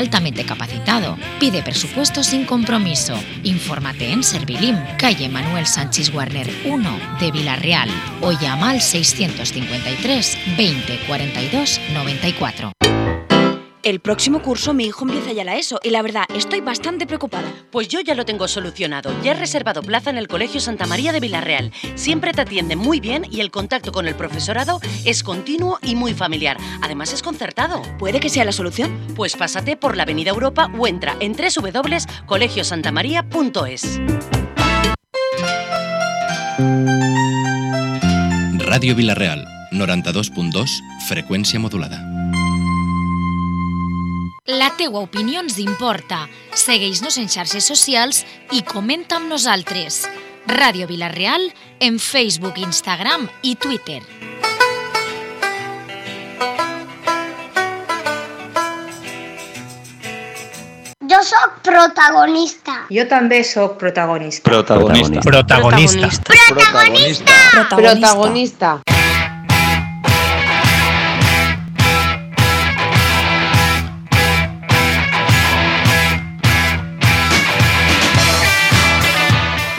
altamente capacitado. Pide presupuesto sin compromiso. Infórmate en Servilim, calle Manuel Sánchez Warner 1 de Villarreal o llama al 653 20 42 94. El próximo curso mi hijo empieza ya la ESO y la verdad estoy bastante preocupada. Pues yo ya lo tengo solucionado. Ya he reservado plaza en el Colegio Santa María de Villarreal. Siempre te atienden muy bien y el contacto con el profesorado es continuo y muy familiar. Además es concertado. ¿Puede que sea la solución? Pues pásate por la Avenida Europa o entra en www.colegiosantamaria.es. Ràdio Villarreal, 92.2, freqüència modulada. La teua opinió ens importa. Segueix-nos en xarxes socials i comenta amb nosaltres. Ràdio Villarreal en Facebook, Instagram i Twitter. Jo sóc protagonista. Jo també sóc protagonista. Protagonista. Protagonista. Protagonista. Protagonista.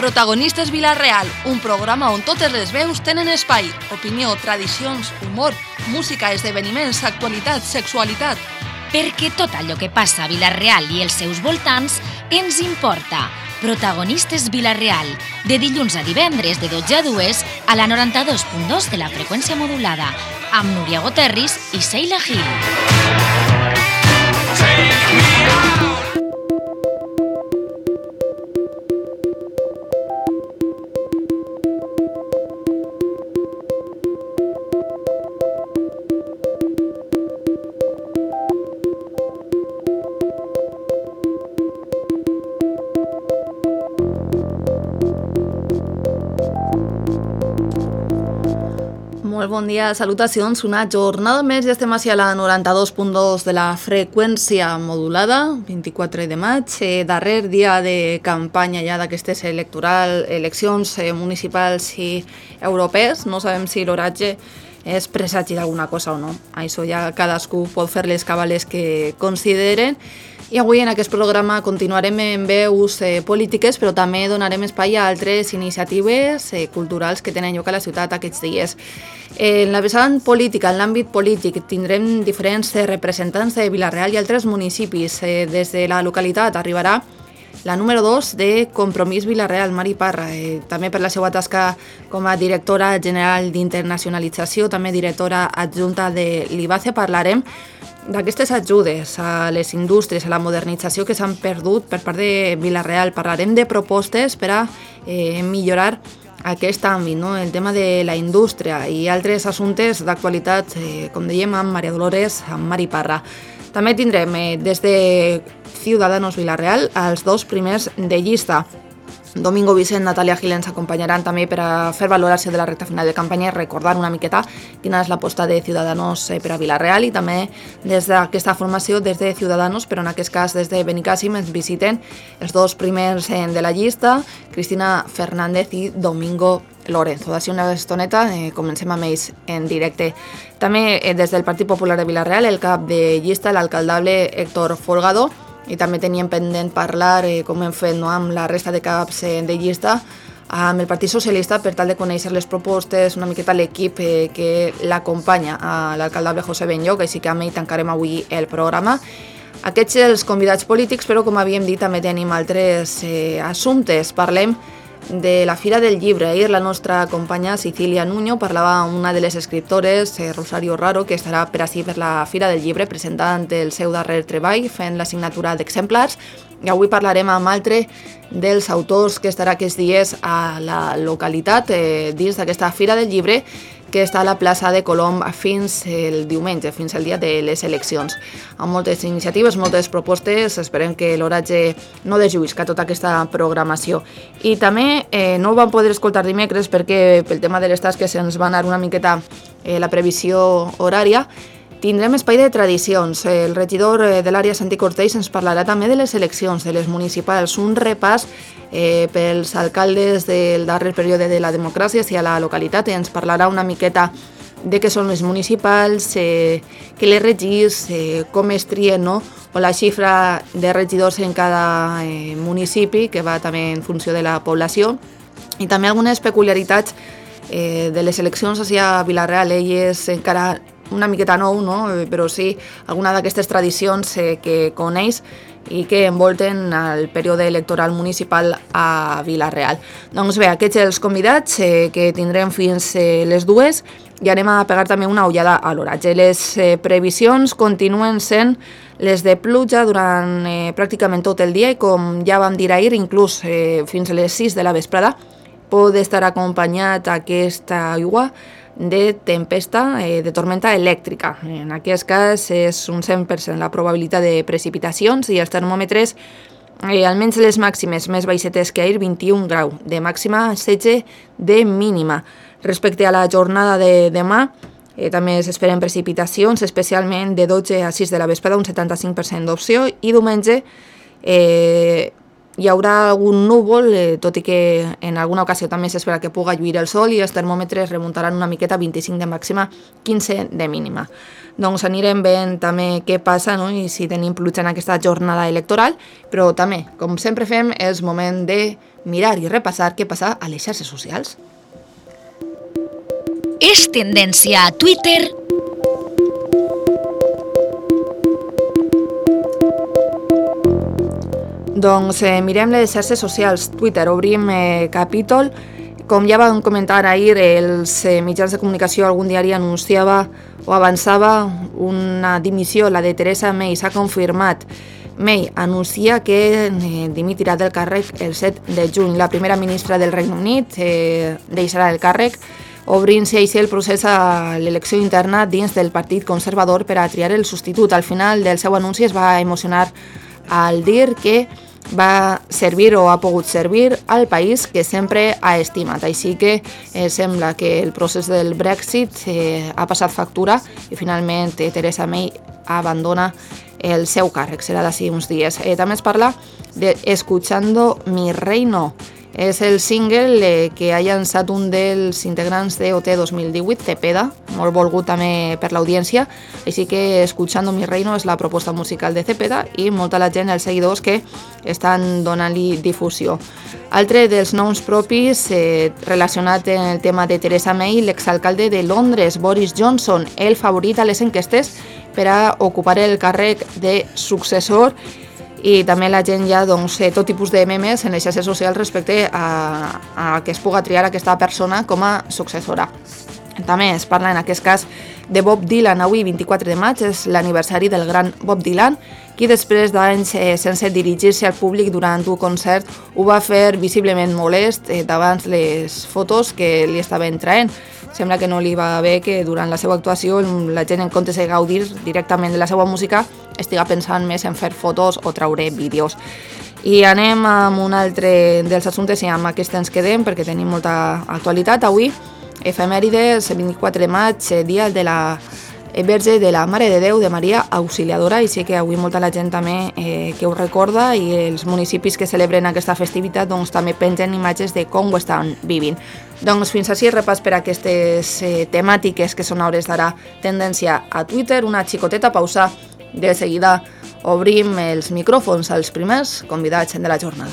Protagonistes Villarreal, un programa on totes les veus tenen espai. Opinió, tradicions, humor, música, esdeveniments, actualitat, sexualitat. Perquè tot allò que passa a Villarreal i els seus voltants ens importa. Protagonistes Villarreal, de dilluns a divendres de 12 a 2 a la 92.2 de la freqüència modulada, amb Núria Goterris i Sheila Gil. Molt bon dia, salutacions. Una jornada més i estem a la 92.2 de la freqüència modulada, 24 de maig, darrer dia de campanya ja d'aquestes eleccions municipals i europees. No sabem si l'oratge és presagi d'alguna cosa o no. Això ja cadascú pot fer les cabales que consideren. I avui en aquest programa continuarem en veus polítiques, però també donarem espai a altres iniciatives culturals que tenen lloc a la ciutat aquests dies. En la vessant política, en l'àmbit polític, tindrem diferents representants de Villarreal i altres municipis. Des de la localitat arribarà la número 2 de Compromís Villarreal, Mari Parra, també per la seva tasca com a directora general d'internacionalització, també directora adjunta de l'IBACE. Parlarem d'aquestes ajudes a les indústries, a la modernització que s'han perdut per part de Villarreal. Parlarem de propostes per a millorar aquest àmbit, no? El tema de la indústria i altres assumptes d'actualitat, com dèiem, amb Maria Dolores, amb Mari Parra. També tindrem des de Ciudadanos Villarreal els dos primers de llista. Domingo Vicent, Natàlia Gil ens acompanyaran també per a fer valoració de la recta final de campanya i recordar una miqueta quina és l'aposta de Ciudadanos per a Villarreal, i també des d'aquesta formació, des de Ciudadanos, però en aquest cas des de Benicàssim, ens visiten els dos primers de la llista, Cristina Fernández i Domingo Lorenzo. D'ací una estoneta comencem amb ells en directe. També des del Partit Popular de Villarreal, el cap de llista, l'alcaldable Héctor Folgado, i també teníem pendent parlar, com hem fet, no, amb la resta de caps de llista, amb el Partit Socialista, per tal de conèixer les propostes, una miqueta l'equip que l'acompanya a l'alcaldable José Benlloc, així que amb ell tancarem avui el programa. Aquests els convidats polítics, però com havíem dit també tenim altres assumptes. Parlem de la Fira del Llibre. Ahir la nostra companya Cecilia Nuño parlava amb una de les escriptores, Rosario Raro, que estarà per ací per la Fira del Llibre presentant el seu darrer treball, fent la signatura d'exemplars. I avui parlarem amb altre dels autors que estarà aquests dies a la localitat dins d'aquesta Fira del Llibre, que està a la plaça de Colom fins el diumenge, fins el dia de les eleccions. Amb moltes iniciatives, moltes propostes, esperem que l'oratge no deslluïsca tota aquesta programació. I també no ho vam poder escoltar dimecres perquè pel tema de les tasques ens va anar una miqueta la previsió horària. Tindrem espai de tradicions. El regidor de l'àrea Santi Cortells ens parlarà també de les eleccions, de les municipals, un repàs pels alcaldes del darrer període de la democràcia hacia la localitat. Ens parlarà una miqueta de què són les municipals, que les regis, com es trien, no? O la xifra de regidors en cada municipi, que va també en funció de la població, i també algunes peculiaritats de les eleccions a Vila-real. Ell és encara una miqueta nou, no? Però sí alguna d'aquestes tradicions que coneix i que envolten el període electoral municipal a Vila-real. Doncs bé, aquests els convidats que tindrem fins les 2 i anem a pegar també una ullada a l'oratge. Les previsions continuen sent les de pluja durant pràcticament tot el dia i, com ja vam dir ahir, inclús fins a les 6 de la vesprada pot estar acompanyat aquesta aigua de tempesta, de tormenta elèctrica. En aquest cas és un 100% la probabilitat de precipitacions i els termòmetres, almenys les màximes més baixetes que ahir, 21 grau de màxima, 16 de mínima. Respecte a la jornada de demà, també s'esperen precipitacions, especialment de 12 a 6 de la vesprada, un 75% d'opció, i diumenge hi haurà algun núvol, tot i que en alguna ocasió també s'espera que puga lluir el sol i els termòmetres remuntaran una miqueta, 25 de màxima, 15 de mínima. Doncs anirem veient també què passa, no? I si tenim pluja en aquesta jornada electoral, però també, com sempre fem, és moment de mirar i repassar què passa a les xarxes socials. És tendència a Twitter. Doncs mirem les xarxes socials. Twitter, obrim capítol. Com ja vam comentar ahir, els mitjans de comunicació, algun diari anunciava o avançava una dimissió, la de Theresa May. S'ha confirmat. May anuncia que dimitirà del càrrec el 7 de juny. La primera ministra del Regne Unit deixarà el càrrec, obrint-se així el procés a l'elecció interna dins del Partit Conservador per a triar el substitut. Al final del seu anunci es va emocionar al dir que va servir o ha pogut servir al país que sempre ha estimat. Així que sembla que el procés del Brexit ha passat factura i finalment Theresa May abandona el seu càrrec. Serà d'ací uns dies. També es parla de Escuchando mi reino. És el single que ha llançat un dels integrants de OT 2018, Cepeda, molt volgut també per l'audiència, així que Escuchando mi reino és la proposta musical de Cepeda i molta la gent, els seguidors, que estan donant-li difusió. Altre dels noms propis relacionat amb el tema de Theresa May, l'exalcalde de Londres, Boris Johnson, el favorit a les enquestes per a ocupar el càrrec de successor, i també la gent ja tot tipus de memes en les xarxes socials respecte a que es puga triar aquesta persona com a successora. També es parla en aquest cas de Bob Dylan. Avui, 24 de maig, és l'aniversari del gran Bob Dylan, qui després d'anys sense dirigir-se al públic durant un concert ho va fer visiblement molest davant les fotos que li estaven traient. Sembla que no li va bé que durant la seva actuació la gent, en comptes de gaudir directament de la seva música, estiga pensant més en fer fotos o traure vídeos. I anem amb un altre dels assumptes i amb aquest ens quedem perquè tenim molta actualitat. Avui, efemèrides, 24 de maig, dia de la Verge de la Mare de Déu de Maria Auxiliadora, i sí que avui molta la gent també que ho recorda, i els municipis que celebren aquesta festivitat també pengen imatges de com ho estan vivint. Doncs fins així repàs per aquestes temàtiques que són a hores d'ara tendència a Twitter. Una xicoteta pausa, de seguida obrim els micròfons als primers convidats de la jornada.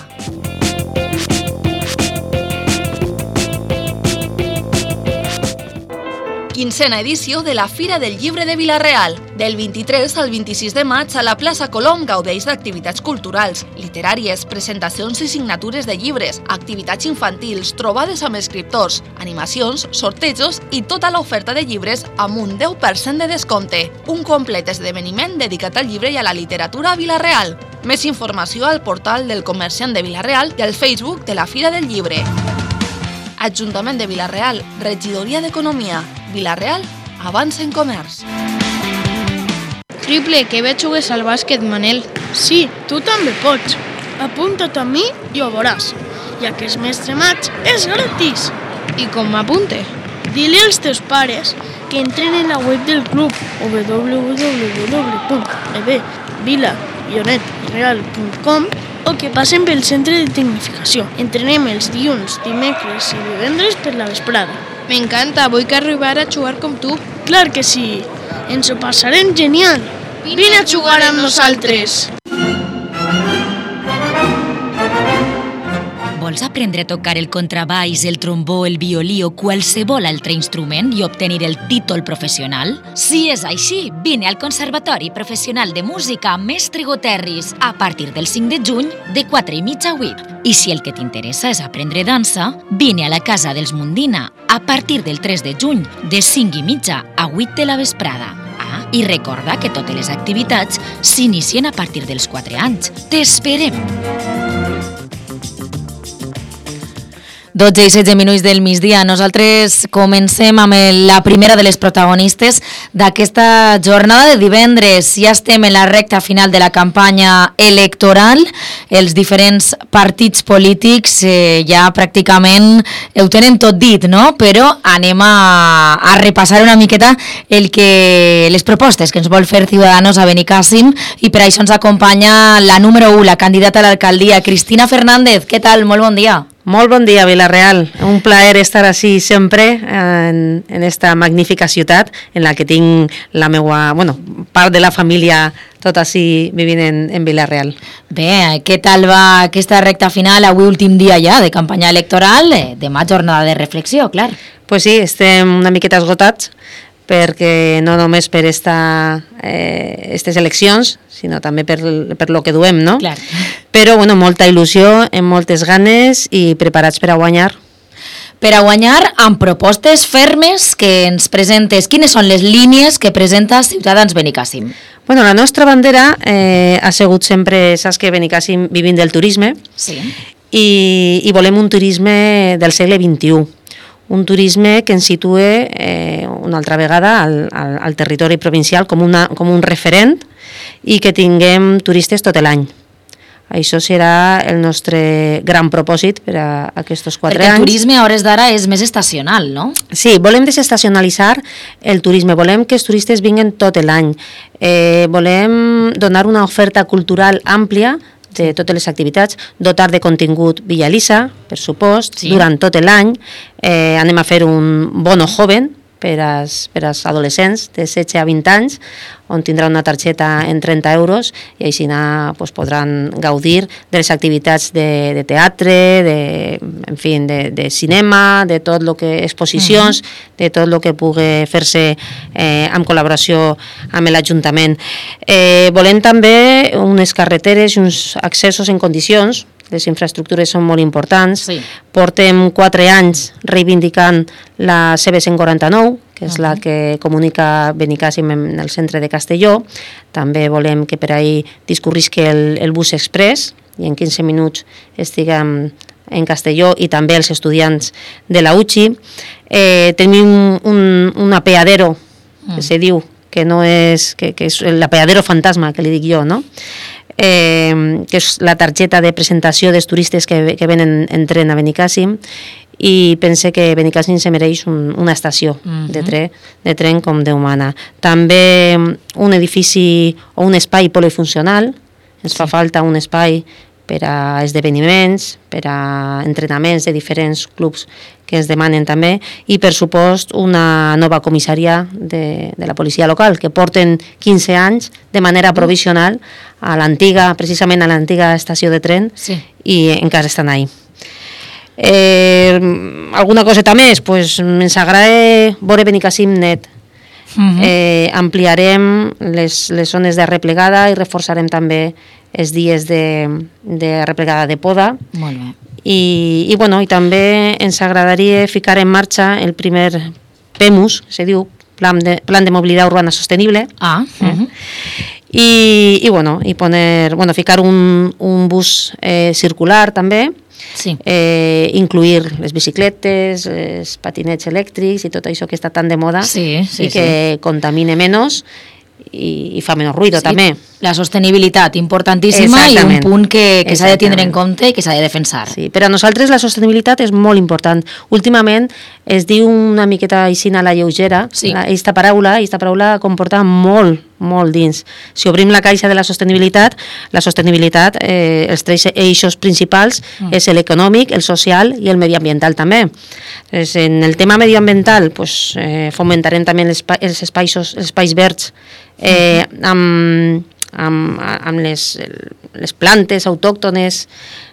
Quincena edició de la Fira del Llibre de Vila-real. Del 23 al 26 de maig a la plaça Colom gaudeix d'activitats culturals, literàries, presentacions i signatures de llibres, activitats infantils, trobades amb escriptors, animacions, sortejos i tota l'oferta de llibres amb un 10% de descompte. Un complet esdeveniment dedicat al llibre i a la literatura a Vila-real. Més informació al portal del Comerciant de Vila-real i al Facebook de la Fira del Llibre. Ajuntament de Vila-real, Regidoria d'Economia. Vila-real, avança en comerç. Triple, que bé jugues al bàsquet, Manel. Sí, tu també pots. Apunta't a mi i ho veuràs. Ja que és mes de maig, és gratis. I com m'apunte? Dile als teus pares que entren en la web del club www.vila-real.com o que passen pel centre de tecnificació. Entrenem els dilluns, dimecres i divendres per la vesprada. M'encanta, vull que arribar a jugar com tu. Clar que sí, ens ho passarem genial. Vine a jugar amb nosaltres. Vols aprendre a tocar el contrabaix, el trombó, el violí o qualsevol altre instrument i obtenir el títol professional? Si és així, vine al Conservatori Professional de Música Mestre Goterris a partir del 5 de juny de 4:30 a 8. I si el que t'interessa és aprendre dansa, vine a la Casa dels Mundina a partir del 3 de juny de 5:30 a 8 de la vesprada. I recorda que totes les activitats s'inicien a partir dels 4 anys. T'esperem! 12:16 del migdia. Nosaltres comencem amb la primera de les protagonistes d'aquesta jornada de divendres. Ja estem en la recta final de la campanya electoral. Els diferents partits polítics ja pràcticament ho tenen tot dit, no? Però anem a repassar una miqueta les propostes que ens vol fer Ciudadanos a Benicàssim, i per això ens acompanya la número 1, la candidata a l'alcaldia, Cristina Fernández. Què tal? Molt bon dia. Molt bon dia, Vila-real. Un plaer estar així sempre en esta magnífica ciutat en la que tinc la meva, part de la família tot així vivint en Vila-real. Bé, què tal va aquesta recta final? Avui últim dia ja de campanya electoral, demà jornada de reflexió, clar. Pues sí, estem una miqueta esgotats, perquè no només per aquestes eleccions, sinó també per lo que duem, no? Clar. Però, molta il·lusió, amb moltes ganes i preparats per a guanyar. Per a guanyar amb propostes fermes que ens presentes. Quines són les línies que presenta Ciutadans Benicàssim? La nostra bandera ha sigut sempre, saps que Benicàssim vivim del turisme, sí, i volem un turisme del segle XXI. Un turisme que ens situe una altra vegada al territori provincial com un referent i que tinguem turistes tot l'any. Això serà el nostre gran propòsit per a aquests 4 anys. Perquè el turisme a hores d'ara és més estacional, no? Sí, volem desestacionalitzar el turisme, volem que els turistes vinguen tot l'any. Volem donar una oferta cultural àmplia de totes les activitats, dotar de contingut Villa Elisa, per supost, sí, durant tot l'any. Anem a fer un bono joven per als adolescents de 16 a 20 anys, on tindrà una targeta en 30 euros i així podran gaudir de les activitats de teatre, de cinema, de tot el que exposicions, de tot el que pugui fer-se en col·laboració amb l'Ajuntament. Volem també unes carreteres i uns accessos en condicions. Les infraestructures són molt importants. Sí. Portem 4 anys reivindicant la CB149, que és la que comunica Benicàssim en el centre de Castelló. També volem que per ahí discorrisqui el bus express i en 15 minuts estiguem en Castelló, i també els estudiants de la UCI. Tenim un apeadero, que se diu, que és l'apeadero fantasma, que li dic jo, no? Que és la targeta de presentació dels turistes que venen en tren a Benicàssim, i pense que Benicàssim se mereix una estació de tren com Déu mana. També un edifici o un espai polifuncional. Ens fa falta un espai per a esdeveniments, per a entrenaments de diferents clubs que ens demanen també, i per supost una nova comissaria de la policia local, que porten 15 anys de manera provisional precisament a l'antiga estació de tren, sí, i encara estan ahí. Alguna coseta més? Ens agrada veure Benicàssim net. Ampliarem les zones de replegada i reforçarem també els dies de replegada de poda. Molt bé. I també ens agradaria ficar en marxa el primer PEMUS, se diu Plan de Mobilitat Urbana Sostenible. I ficar un bus circular també, sí, incluir les bicicletes, els patinets elèctrics i tot això que està tan de moda, sí, i que contamine menys i fa menys ruïdo, sí, també. La sostenibilitat, importantíssima, Exactament. i un punt que s'ha de tindre en Exactament. compte i que s'ha de defensar. Sí, per a nosaltres la sostenibilitat és molt important. Últimament es diu una miqueta així a la lleugera, Sí. aquesta paraula comporta molt dins. Si obrim la caixa de la sostenibilitat, els tres eixos principals és l'econòmic, el social i el mediambiental també. En el tema mediambiental fomentarem també els espais verds amb les plantes autòctones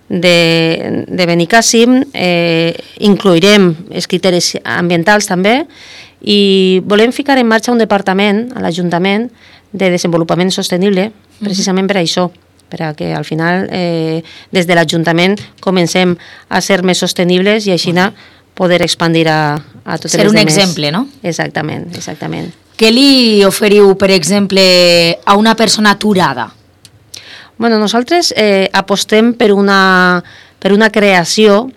de Benicàssim, inclourem els criteris ambientals també, i volem ficar en marxa un departament a l'Ajuntament de desenvolupament sostenible, precisament per això, perquè al final des de l'Ajuntament comencem a ser més sostenibles i així poder expandir a totes les Ser un demés. exemple, no? Exactament. Què li oferiu, per exemple, a una persona aturada? Bueno, nosaltres apostem per una creació,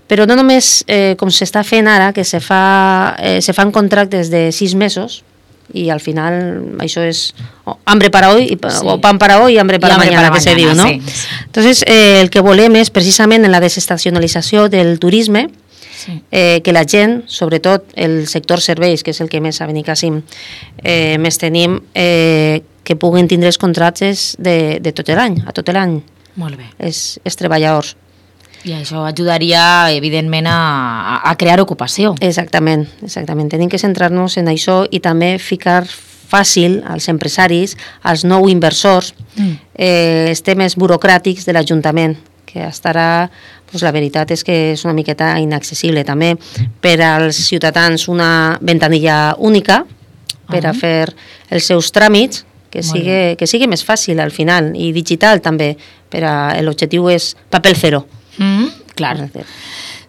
però no només com s'està fent ara, que se fan contractes de 6 mesos, i al final això és hambre para hoy, o pan para hoy y hambre para mañana, que se diu, no? Sí. Entonces, el que volem és precisament en la desestacionalització del turisme, que la gent, sobretot el sector serveis, que és el que més a Benicàssim més tenim, que puguin tindre els contractes de tot l'any, a tot l'any. Molt bé. Els treballadors. I això ajudaria, evidentment, a crear ocupació. Exactament. Tenim que centrar-nos en això i també ficar fàcil als empresaris, als nous inversors, els temes burocràtics de l'Ajuntament, que estarà, la veritat és que és una miqueta inaccessible també per als ciutadans, una ventanilla única per a fer els seus tràmits, que sigui més fàcil al final, i digital també, l'objectiu és paper zero. Clar.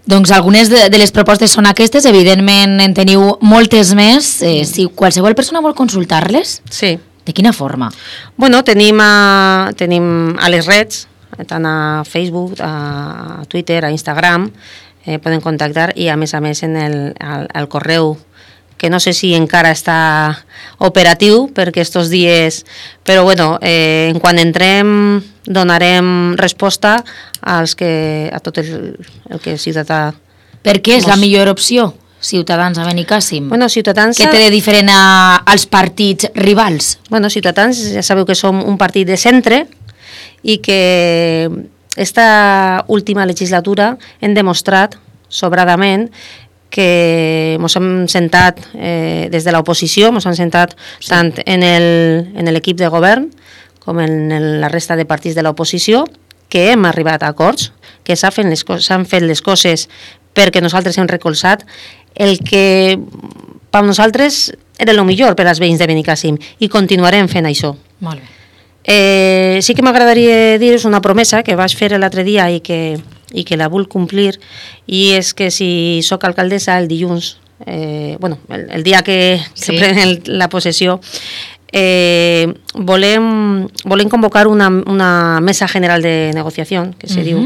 Doncs algunes de les propostes són aquestes, evidentment en teniu moltes més. Si qualsevol persona vol consultar-les, sí. De quina forma? Bueno, tenim a les reds, tant a Facebook, a Twitter, a Instagram, poden contactar, i a més en el correu, que no sé si encara està operatiu perquè estos dies, però bueno, en quan entrem donarem resposta a tot el que el ciutadà... Per què és la millor opció, Ciutadans a Benicàssim? Bueno, Ciutadans... Què té de diferent als partits rivals? Bueno, Ciutadans, ja sabeu que som un partit de centre i que esta última legislatura hem demostrat sobradament que ens hem sentat des de l'oposició, ens hem sentat tant en l'equip de govern com en la resta de partits de l'oposició, que hem arribat a acords, que s'han fet les coses perquè nosaltres hem recolzat el que per nosaltres era el millor per als veïns de Benicàssim, i continuarem fent això. Molt bé. Sí que m'agradaria dir-vos una promesa que vaig fer l'altre dia i que la vull complir, i és que si sóc alcaldessa el dilluns, el dia que pren la possessió, volem convocar una mesa general de negociació, que se diu,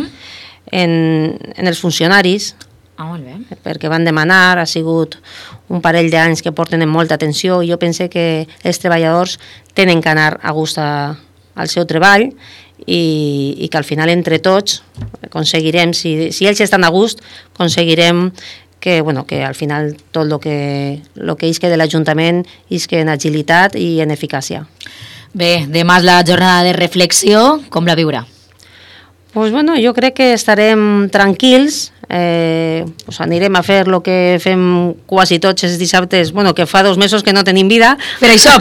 en els funcionaris, perquè van demanar, ha sigut un parell d'anys que porten amb molta atenció, i jo pense que els treballadors tenen que anar a gust al seu treball, i que al final entre tots aconseguirem, si ells estan a gust, aconseguirem que al final tot el que isque de l'Ajuntament isque en agilitat i en eficàcia. Bé, demà és la jornada de reflexió, com la viurà? Jo crec que estarem tranquils, anirem a fer el que fem quasi tots els dissabtes, que fa 2 mesos que no tenim vida. Per això.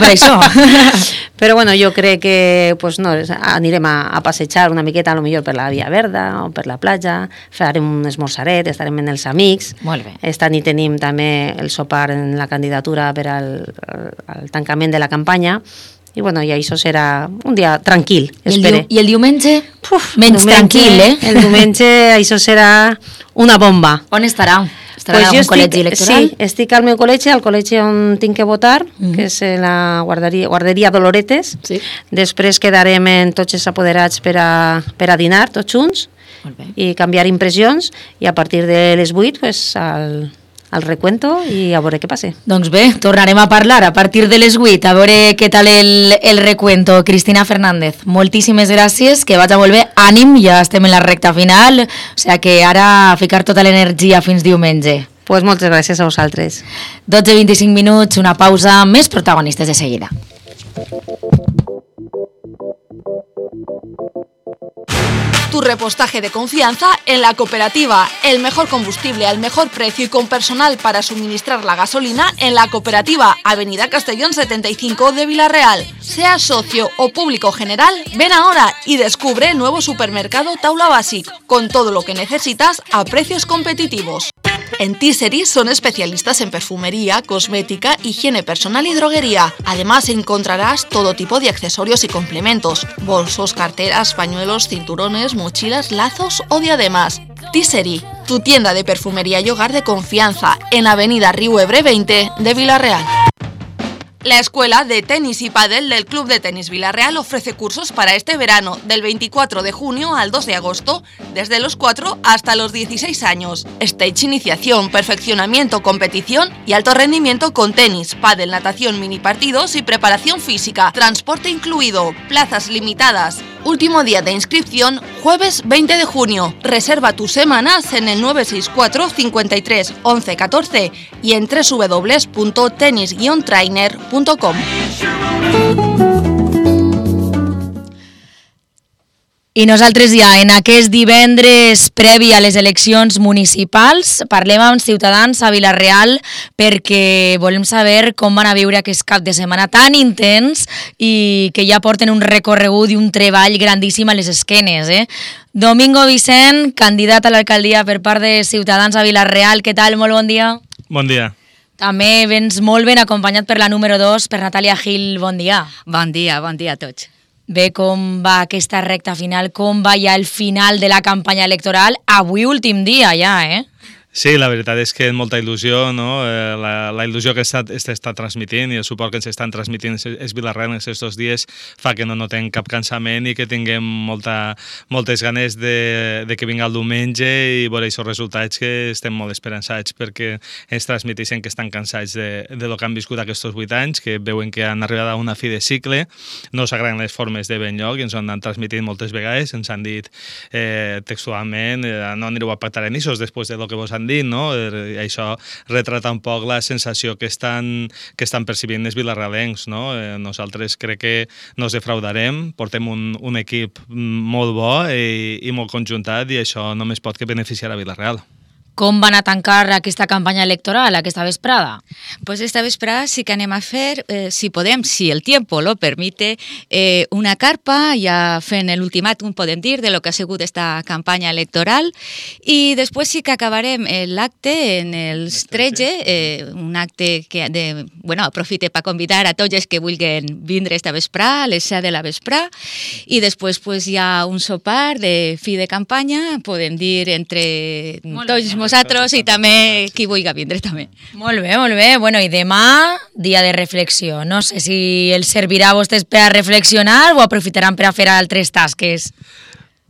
Però jo crec que anirem a passejar una miqueta, potser per la Via Verda o per la platja, farem un esmorzaret, estarem amb els amics. Molt bé. Esta nit tenim també el sopar en la candidatura per al tancament de la campanya, i això serà un dia tranquil, espere. I el diumenge? Menys tranquil, eh? El diumenge això serà una bomba. On estarà? Estarà en algun col·legi electoral? Sí, estic al meu col·legi, al col·legi on tinc que votar, que és la guarderia Doloretes. Després quedarem en tots els apoderats per a dinar, tots junts, i canviar impressions, i a partir de les 8 al al recuento i a veure què passa. Doncs bé, tornarem a parlar a partir de les 8, a veure què tal el recuento. Cristina Fernández, moltíssimes gràcies, que vaig a molt bé. Ànim, ja estem en la recta final, o sigui que ara a ficar tota l'energia fins diumenge. Pues moltes gràcies a vosaltres. 12:25 minuts, una pausa, més protagonistes de seguida. Tu repostaje de confianza en la cooperativa. El mejor combustible al mejor precio y con personal para suministrar la gasolina en la cooperativa. Avenida Castellón 75 de Villarreal. Seas socio o público general, ven ahora y descubre el nuevo supermercado Taula Basic, con todo lo que necesitas a precios competitivos. En Tissery son especialistas en perfumería, cosmética, higiene personal y droguería. Además encontrarás todo tipo de accesorios y complementos: bolsos, carteras, pañuelos, cinturones, mochilas, lazos o diademas. Tissery, tu tienda de perfumería y hogar de confianza, en Avenida Riu Ebre 20 de Villarreal. La Escuela de Tenis y Pádel del Club de Tenis Villarreal ofrece cursos para este verano, del 24 de junio al 2 de agosto, desde los 4 hasta los 16 años. Stage iniciación, perfeccionamiento, competición y alto rendimiento con tenis, pádel, natación, mini partidos y preparación física. Transporte incluido, plazas limitadas. Último día de inscripción, jueves 20 de junio. Reserva tus semanas en el 964 53 11 14 y en www.tenis-trainer.com. I nosaltres ja, en aquest divendres previ a les eleccions municipals, parlem amb ciutadans a Vila-real perquè volem saber com van a viure aquest cap de setmana tan intens i que ja porten un recorregut i un treball grandíssim a les esquenes. Domingo Vicent, candidat a l'alcaldia per part de Ciutadans a Vila-real, què tal? Molt bon dia. Bon dia. També vens molt ben acompanyat per la número 2, per Natàlia Gil. Bon dia. Bon dia a tots. Bé, com va aquesta recta final, com va ja el final de la campanya electoral? Avui últim dia ja, Sí, la veritat és que molta il·lusió, no? La il·lusió que està transmitint i el suport que ens estan transmitint els vilarrencs aquests dies fa que no notem cap cansament i que tinguem moltes ganes de que vinga el diumenge i veure aquests resultats que estem molt esperançats perquè ens transmeteixen que estan cansats de lo que han viscut aquests 8 anys, que veuen que han arribat a una fi de cicle, no s'agraden les formes de ben lloc i ens ho han transmitit moltes vegades, ens han dit textualment no anireu a pactar en ixos després de lo que vos han dit, no? Això retrata un poc la sensació que estan percibint els vilarrealencs, no? Nosaltres crec que no ens defraudarem, portem un equip molt bo i molt conjuntat i això només pot que beneficiar a Vila-real. Com van a tancar aquesta campanya electoral, aquesta vesprada? Pues esta vesprada sí que anem a fer, si podem, si el tiempo lo permite, una carpa, ja fent l'ultimàtum, podem dir, de lo que ha sigut esta campanya electoral, i després sí que acabarem l'acte en els 13, un acte que, aprofite per convidar a tots els que vulguin vindre esta vesprada, a les 7 de la vesprada, i després pues, hi ha un sopar de fi de campanya, podem dir, entre tots nosaltres i també qui vulgui vindre també. Molt bé, molt bé. Bueno, i demà, dia de reflexió. No sé si els servirà a vostès per a reflexionar o aprofitaran per a fer altres tasques.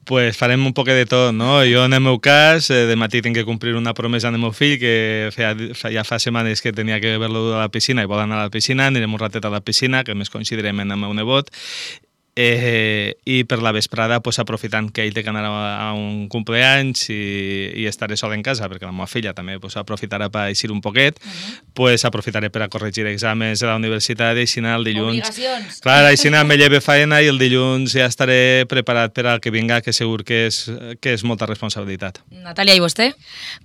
Pues farem un poc de tot, no? Jo, en el meu cas, de matí tinc que complir una promesa al meu fill que ja fa setmanes que tenia que haver-lo a la piscina i vol anar a la piscina, anirem un ratet a la piscina, que més coincidirem amb el meu nebot, i per la vesprada pues, aprofitant que ell té que anar a un cumpleaños i estaré sol en casa perquè la meva filla també pues, aprofitarà per eixir un poquet, pues, aprofitaré per a corregir exàmens de la universitat i així el dilluns. Obligacions. Clar, així me lleve faena i el dilluns ja estaré preparat per al que vinga, que segur que és molta responsabilitat. Natàlia, i vostè?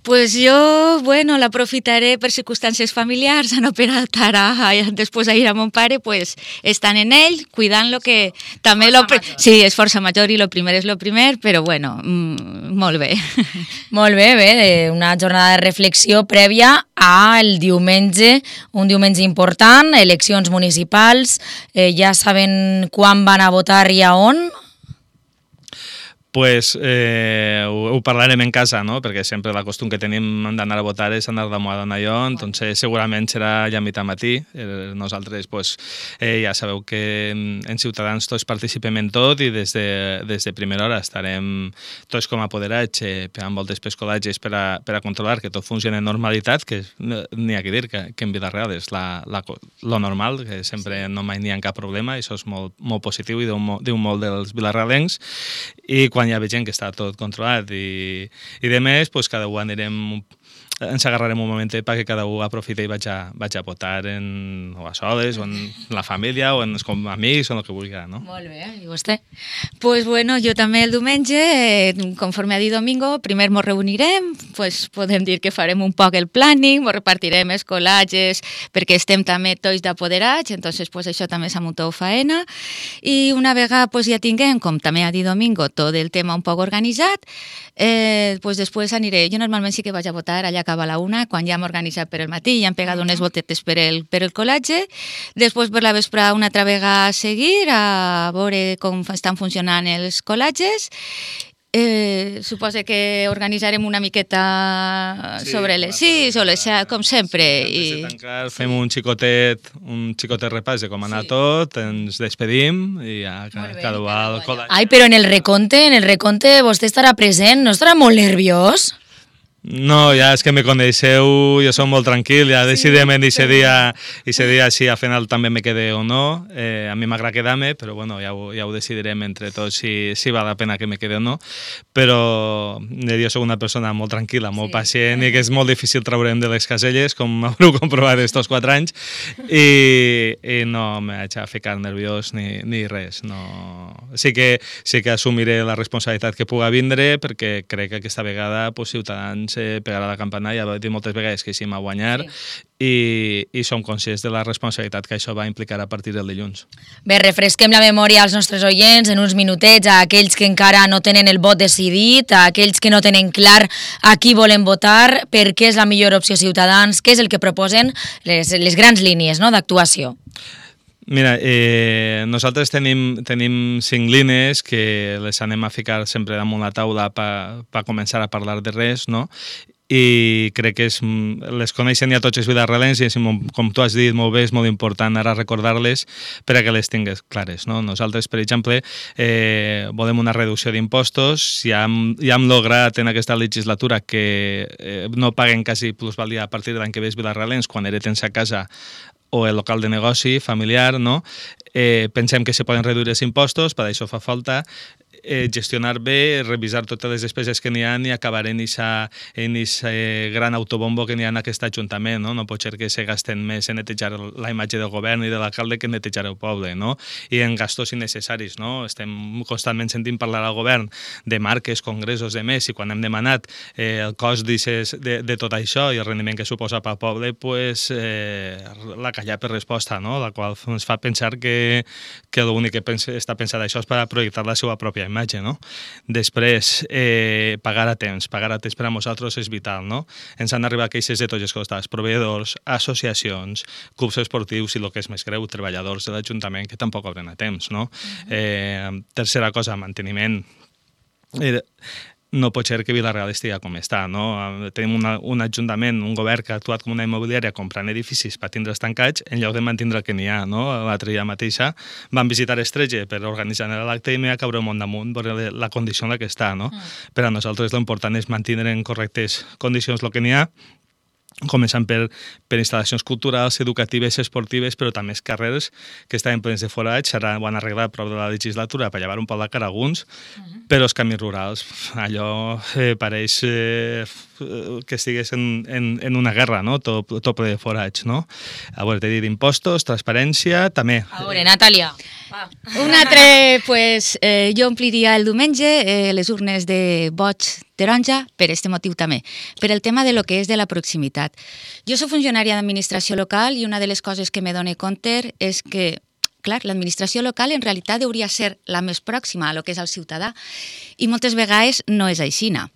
Pues jo, l'aprofitaré per circumstàncies familiars, no per estar després a ir a mon pare, pues, estan en ell, cuidant-lo que també sí, és força major i el primer és el primer, però molt bé. Molt bé, una jornada de reflexió prèvia al diumenge, un diumenge important, eleccions municipals, ja saben quan van a votar i a on? pues, ho parlarem en casa, no? Perquè sempre la costum que tenim d'anar a votar és anar damunt a Donalló, doncs segurament serà ja a mitjà matí. Nosaltres pues, ja sabeu que en Ciutadans tots participem en tot i des de primera hora estarem tots com a apoderats pegant voltes pels col·legis per a controlar que tot funcioni en normalitat, que n'hi ha que dir que en Vila-real és lo normal, que sempre no mai n'hi ha cap problema, i això és molt positiu i diu molt dels vilarrealencs. I quan hi ha gent que està tot controlat i de més, pues, cada un ens agarrarem un moment perquè cada un aprofita i vaig a votar o a soles, o en la família, o com amics, o el que vulgui, no? Molt bé, i vostè? Pues bueno, jo també el diumenge, conforme ha dit Domingo, primer ens reunirem, pues podem dir que farem un poc el planning, ens repartirem els col·latges, perquè estem també tots d'apoderats, entonces pues això també és amb tota faena, i una vegada pues ja tinguem, com també ha dit Domingo, tot el tema un poc organitzat, pues després aniré, jo normalment sí que vaig a votar allà acaba a la 1, quan ja hem organitzat per el matí, ja hem pegat unes voltetes per el col·latge, després per la vesprada una altra vegada a seguir, a veure com estan funcionant els col·latges. Suposo que organitzarem una miqueta sobre les 6 o les 7, com sempre. Antes de tancar fem un xicotet repàs de com ha anat tot, ens despedim i ja cada un al col·latge. Ai, però en el recompte vostè estarà present, no estarà molt nerviós? No, ja és que me coneixeu, jo soc molt tranquil, ja decidirem en aquest dia si al final també me quede o no. A mi m'agrada quedar-me, però bueno, ja ho decidirem entre tots si val la pena que me quede o no. Però jo soc una persona molt tranquil·la, molt pacient, i que és molt difícil treure'm de les caselles, com haureu comprovat estos 4 anys, i no me vaig a ficar nerviós ni res. Sí que assumiré la responsabilitat que puga vindre, perquè crec que aquesta vegada Ciutadans pegarà la campana, ja he dit moltes vegades que sí m'ha guanyat, i som conscients de la responsabilitat que això va implicar a partir del dilluns. Bé, refresquem la memòria als nostres oients en uns minutets, a aquells que encara no tenen el vot decidit, a aquells que no tenen clar a qui volen votar, per què és la millor opció Ciutadans, què és el que proposen les grans línies d'actuació. Mira, nosaltres tenim 5 línies que les anem a ficar sempre damunt la taula per començar a parlar de res, no? I crec que les coneixen ja tots els vilarrealencs i, com tu has dit molt bé, és molt important ara recordar-les per a que les tingues clares, no? Nosaltres, per exemple, volem una reducció d'impostos, ja hem lograt en aquesta legislatura que no paguen quasi plusvalia a partir de l'any que ve els vilarrealencs quan hereten a casa o el local de negoci familiar, no? Pensem que se poden reduir els impostos, per això fa falta gestionar bé, revisar totes les despeses que n'hi ha i acabar en aquest gran autobombo que n'hi ha en aquest ajuntament, no? No pot ser que se gasten més en netejar la imatge del govern i de l'alcalde que en netejar el poble, no? I en gastos innecessaris, no? Estem constantment sentint parlar al govern de marques, congressos, de més, i quan hem demanat el cost de tot això i el rendiment que suposa pel poble, pues la callar per resposta, no? La qual ens fa pensar que l'únic que està pensat això és per projectar la seva pròpia imatge, no? Després, pagar a temps per a nosaltres és vital, no? Ens han arribat queixes de tots els costats, proveïdors, associacions, clubs esportius i, el que és més greu, treballadors de l'Ajuntament que tampoc obren a temps, no? Tercera cosa, manteniment. No pot ser que Vila-real estigui com està, no? Tenim un ajuntament, un govern que ha actuat com una immobiliària comprant edificis per tindre'ls tancats en lloc de mantindre el que n'hi ha, no? L'altre dia mateixa van visitar Estretge per organitzar l'acte i m'hi va caure un món damunt per la condició en la que està, no? Per a nosaltres l'important és mantenir en correctes condicions el que n'hi ha, començant per instal·lacions culturals, educatives, esportives, però també els carrers que estaven plens de forats, ara ho han arreglat prop de la legislatura per llevar un poc la cara a alguns, però els camins rurals, allò pareix que estigués en una guerra, no? Tot ple de forats, no? A veure, t'he dit impostos, transparència, també. A veure, Natàlia. Un altre, pues, jo ompliria el diumenge les urnes de vots taronja per aquest motiu també, per el tema de lo que és de la proximitat. Jo soc funcionària d'administració local i una de les coses que me dono compte és que, clar, l'administració local en realitat hauria ser la més pròxima a lo que és el ciutadà i moltes vegades no és aixina.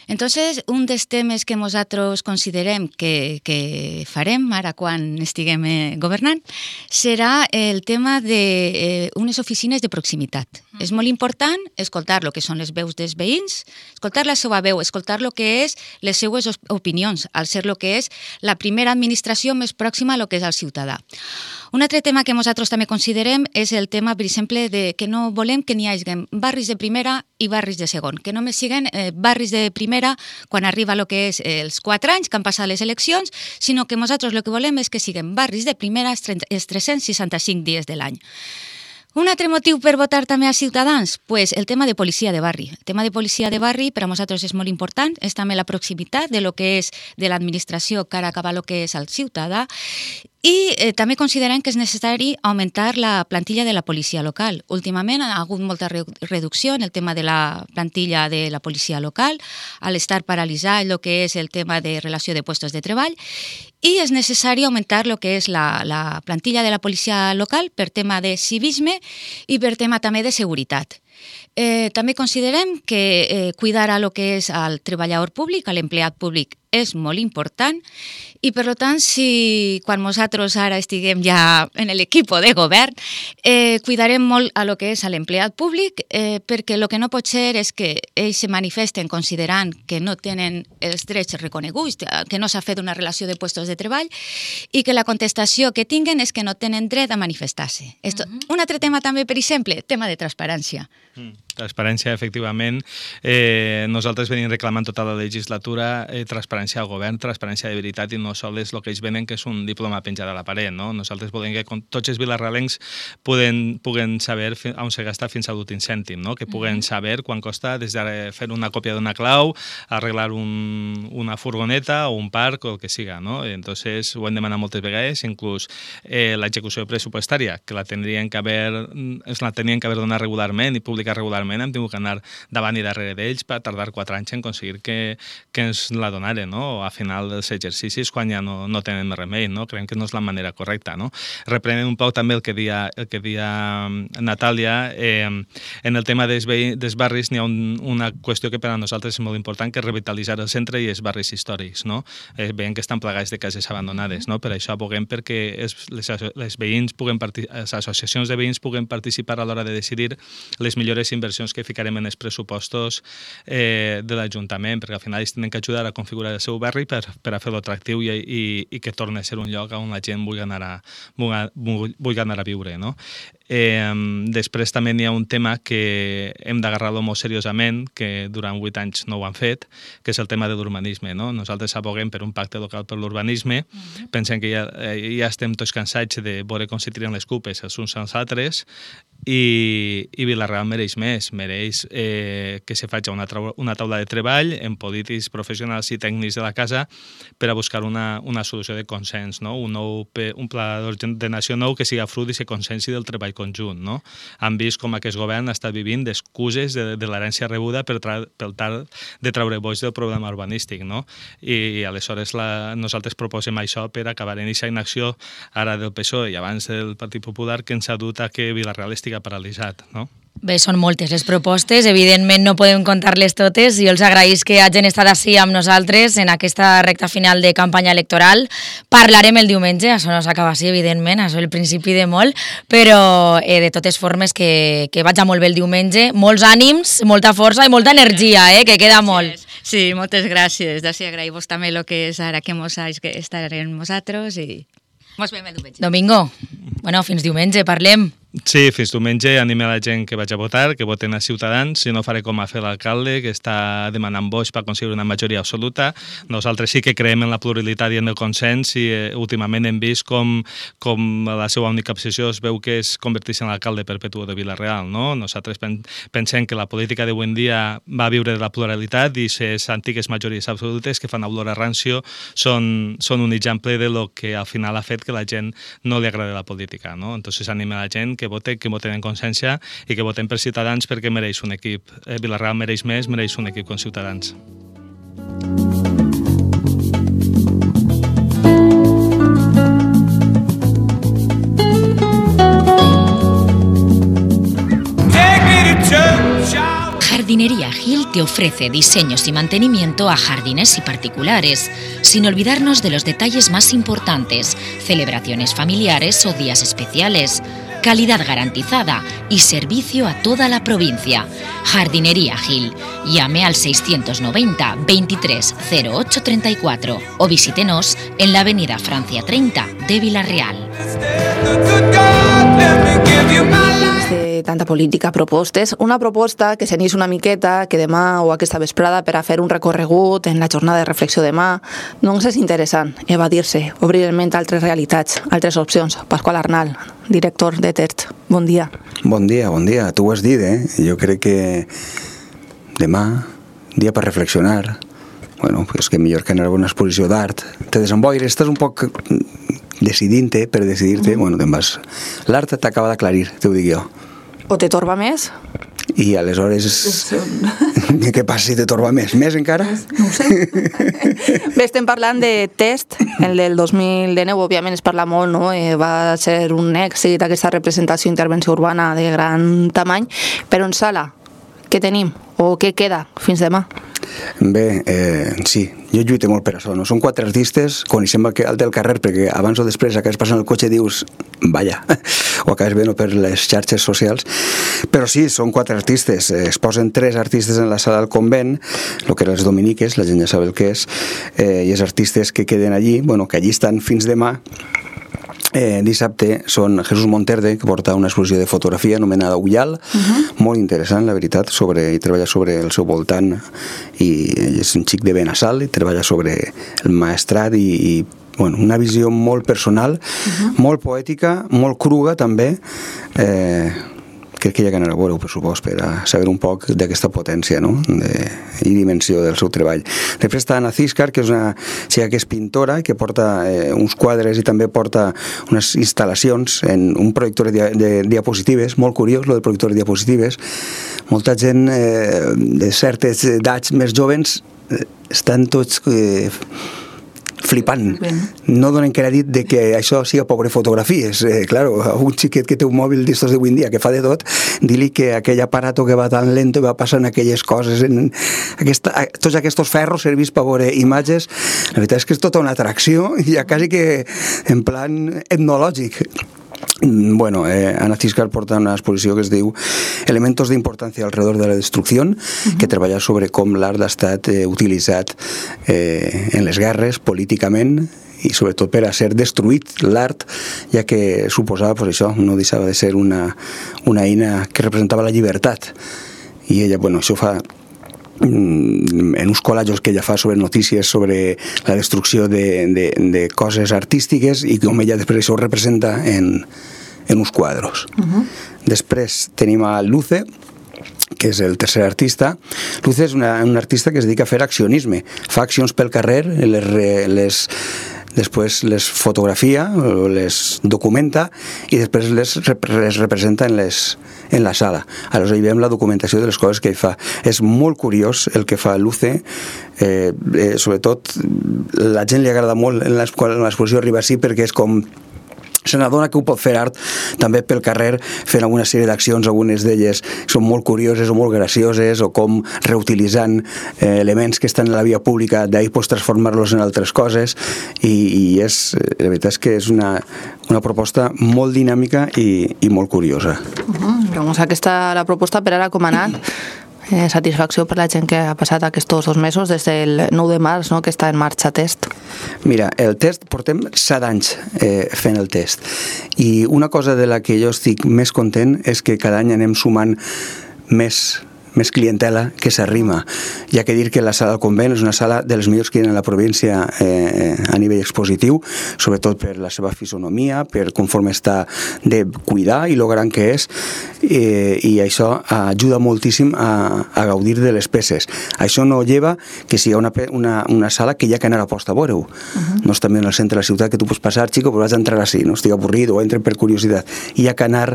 Entonces, un dels temes que nosaltres considerem que farem ara quan estiguem governant serà el tema d'unes oficines de proximitat. És molt important escoltar el que són les veus dels veïns, escoltar la seva veu, escoltar el que és les seues opinions, al ser el que és la primera administració més pròxima a el que és el ciutadà. Un altre tema que nosaltres també considerem és el tema, per exemple, de que no volem que n'hi hagi barris de primera i barris de segon, que només siguin barris de primera quan arriba el que és els 4 anys que han passat les eleccions, sinó que nosaltres el que volem és que siguin barris de primera els 365 dies de l'any. Un altre motiu per votar també a Ciutadans? Pues el tema de policia de barri. El tema de policia de barri per a nosaltres és molt important, és també la proximitat de lo que és de l'administració cara a acabar el que és el ciutadà, i també considerem que és necessari augmentar la plantilla de la policia local. Últimament ha hagut molta reducció en el tema de la plantilla de la policia local, al estar paralitzat el que és el tema de relació de puestos de treball, i és necessari augmentar el que és la plantilla de la policia local per tema de civisme i per tema també de seguretat. També considerem que cuidar el que és el treballador públic, l'empleat públic, és molt important i, per tant, si quan nosaltres ara estiguem ja en l'equip de govern, cuidarem molt a lo que és l'empleat públic, perquè el que no pot ser és que ells se manifesten considerant que no tenen els drets reconeguts, que no s'ha fet una relació de puestos de treball i que la contestació que tinguen és que no tenen dret a manifestar-se. Un altre tema també, per exemple, tema de transparència. Transparència, efectivament. Nosaltres venim reclamant tota la legislatura transparència al govern, transparència de veritat, i no sols el que ells venen, que és un diploma penjat a la paret. No? Nosaltres volem que tots els vilarralencs puguen saber on se gasta fins a l'últim cèntim, no? Que puguen saber quan costa des de fer una còpia d'una clau, arreglar una furgoneta o un parc o el que siga. No? Entonces, ho hem demanat moltes vegades, inclús l'execució pressupostària, que la tenien que haver donat regularment i publicar regularment, hem tingut que anar davant i darrere d'ells per tardar 4 anys en aconseguir que ens la donaren, no? A final dels exercicis, quan ja no tenen més remei, no? Creiem que no és la manera correcta, no? Reprenent un poc també el que dia Natàlia, en el tema dels barris n'hi ha una qüestió que per a nosaltres és molt important, que és revitalitzar el centre i els barris històrics, no? Veiem que estan plagats de cases abandonades, no? Per això aboguem perquè les associacions de veïns puguen participar a l'hora de decidir les millors inversions que ficarem en els pressupostos de l'Ajuntament, perquè al final ells tenen que ajudar a configurar el seu barri per a fer-lo atractiu i que torni a ser un lloc on la gent vulgui anar a viure. No? Després també n'hi ha un tema que hem d'agarrar-lo molt seriosament, que durant 8 anys no ho han fet, que és el tema de l'urbanisme. No? Nosaltres aboguem per un pacte local per l'urbanisme, pensem que ja estem tots cansats de veure com se tiren les culpes els uns als altres, i Vila-real mereix més, mereix que se faci una taula de treball amb polítics, professionals i tècnics de la casa per a buscar una solució de consens, no? Un pla d'ordenació nou que siga fruit d'aquest consens i del treball conjunt. No? Han vist com aquest govern està vivint d'excuses de l'herència rebuda per tal de treure boix del problema urbanístic. No? I aleshores nosaltres proposem això per acabar en aquesta inacció ara del PSOE i abans del Partit Popular, que ens ha dut a que Vila-real estigui paralitzat, no? Bé, són moltes les propostes, evidentment no podem contar-les totes, i els agraïs que hagin estat així amb nosaltres en aquesta recta final de campanya electoral. Parlarem el diumenge, això no s'acaba així, evidentment, això és el principi de molt, però de totes formes que vaig molt bé el diumenge, molts ànims, molta força i molta energia, que queda molt. Sí, moltes gràcies, d'ací agraïm-vos també el que és ara que estarem nosaltres i mos veiem el diumenge. Domingo, bueno, fins diumenge, parlem. Sí, fins diumenge anime a la gent que vaig a votar, que voten a Ciutadans. Si no, faré com a fer l'alcalde, que està demanant vots per aconseguir una majoria absoluta. Nosaltres sí que creiem en la pluralitat i en el consens, i últimament hem vist com la seva única obsessió es veu que és convertir-se en l'alcalde perpetu de Vila-real. No? Nosaltres pensem que la política d'avui en dia va viure de la pluralitat, i les antigues majories absolutes que fan olor a rancio són un exemple de lo que al final ha fet que la gent no li agrada la política. No? Entonces anime a la gent que voten en consciència i que voten per Ciutadans, perquè mereix un equip. Vila-real mereix més, mereix un equip com Ciutadans. Jardinería Gil te ofrece diseños y mantenimiento a jardines y particulares, sin olvidarnos de los detalles más importantes, celebraciones familiares o días especiales, calidad garantizada y servicio a toda la provincia. Jardinería Gil. Llame al 690 23 08 34 o visítenos en la avenida Francia 30 de Vila-real. De tanta política, propostes, una proposta que s'anís una miqueta, que demà o aquesta vesprada per a fer un recorregut en la jornada de reflexió demà, doncs és interessant evadir-se, obrir el ment a altres realitats, altres opcions. Pasqual Arnal, director de TERT, bon dia. Bon dia, tu ho has dit, Jo crec que demà, dia per reflexionar, bueno, pues que millor que anar a una exposició d'art, te desemboires, estàs un poc decidint-te, per decidir-te, bueno, te'n vas. L'art t'acaba d'aclarir, t'ho dic jo. O te torba més? I aleshores, què passa si te torba més? Més encara? No ho sé. Bé, estem parlant de Test, el del 2019, òbviament es parla molt, no? Va ser un èxit aquesta representació intervenció urbana de gran tamany, però en sala, què tenim? O què queda fins demà? Bé, sí, jo lluito molt per això, no? Són 4 artistes, coneixem el del carrer, perquè abans o després acabes passant el cotxe i dius, vaya, o acabes veient per les xarxes socials, però sí, són 4 artistes, es posen 3 artistes en la sala del convent, el que eren les dominiques, la gent ja sap el que és, i els artistes que queden allí, bueno, que allí estan fins demà. Dissabte són Jesús Monterde, que porta una exposició de fotografia anomenada Ullal, molt interessant, la veritat, i treballa sobre el seu voltant, i ell és un xic de Benassal, i treballa sobre el maestrat i bueno, una visió molt personal, molt poètica, molt cruga també, crec que hi ha que anar a veure, per supost, per a saber un poc d'aquesta potència, no? I dimensió del seu treball. Després està Ana Císcar, que és una xica que és pintora, que porta uns quadres i també porta unes instal·lacions en un projector de diapositives, molt curiós, lo del projector de diapositives. Molta gent de certes edats més jovens estan tots flipant. No donen crèdit de que això siga pobre fotografies. Claro, un xiquet que té un mòbil d'estos d'avui en dia que fa de tot, dir-li que aquell aparato que va tan lento i va passant aquelles coses, tots aquests ferros servís per veure imatges, la veritat és que és tota una atracció, ja quasi que en plan etnològic. Bueno, Ana Císcar porta una exposició que es diu Elementos de importancia alrededor de la destrucción, que treballa sobre com l'art ha estat utilitzat en les guerres políticament i sobretot per a ser destruït l'art, ja que suposava, pues això, no deixava de ser una eina que representava la llibertat. I ella, bueno, això fa en uns col·lajos que ella fa sobre notícies sobre la destrucció de coses artístiques i com ella després això ho representa en uns quadros. Després tenim a Luce, que és el tercer artista. Luce és un artista que es dedica a fer accionisme, fa accions pel carrer, després les fotografia, les documenta i després les representa en la sala. Aleshores hi veiem la documentació de les coses que ell fa. És molt curiós el que fa Luce, sobretot la gent li agrada molt en l'exposició arriba així perquè és com se n'adona que ho pot fer art també pel carrer fent alguna sèrie d'accions, algunes d'elles són molt curioses o molt gracioses, o com reutilitzant elements que estan a la via pública, d'ahir pots transformar-los en altres coses, i la veritat és que és una proposta molt dinàmica i molt curiosa. Doncs aquesta la proposta per ara com ha anat? Satisfacció per la gent que ha passat aquests 2 mesos des del 9 de març, no?, que està en marxa Test. Mira, el Test portem 7 anys fent el Test, i una cosa de la que jo estic més content és que cada any anem sumant més clientela que s'arrima. Hi ha que dir que la sala del convent és una sala de les millors que hi ha a la província a nivell expositiu, sobretot per la seva fisonomia, per conforme està de cuidar i lo gran que és, i això ajuda moltíssim a gaudir de les peces. Això no lleva que sigui una sala que hi ha que anar a posta a veure-ho. No és també en el centre de la ciutat que tu pots passar, xico, però vas a entrar així, no estic avorrit o entra per curiositat. Hi ha que anar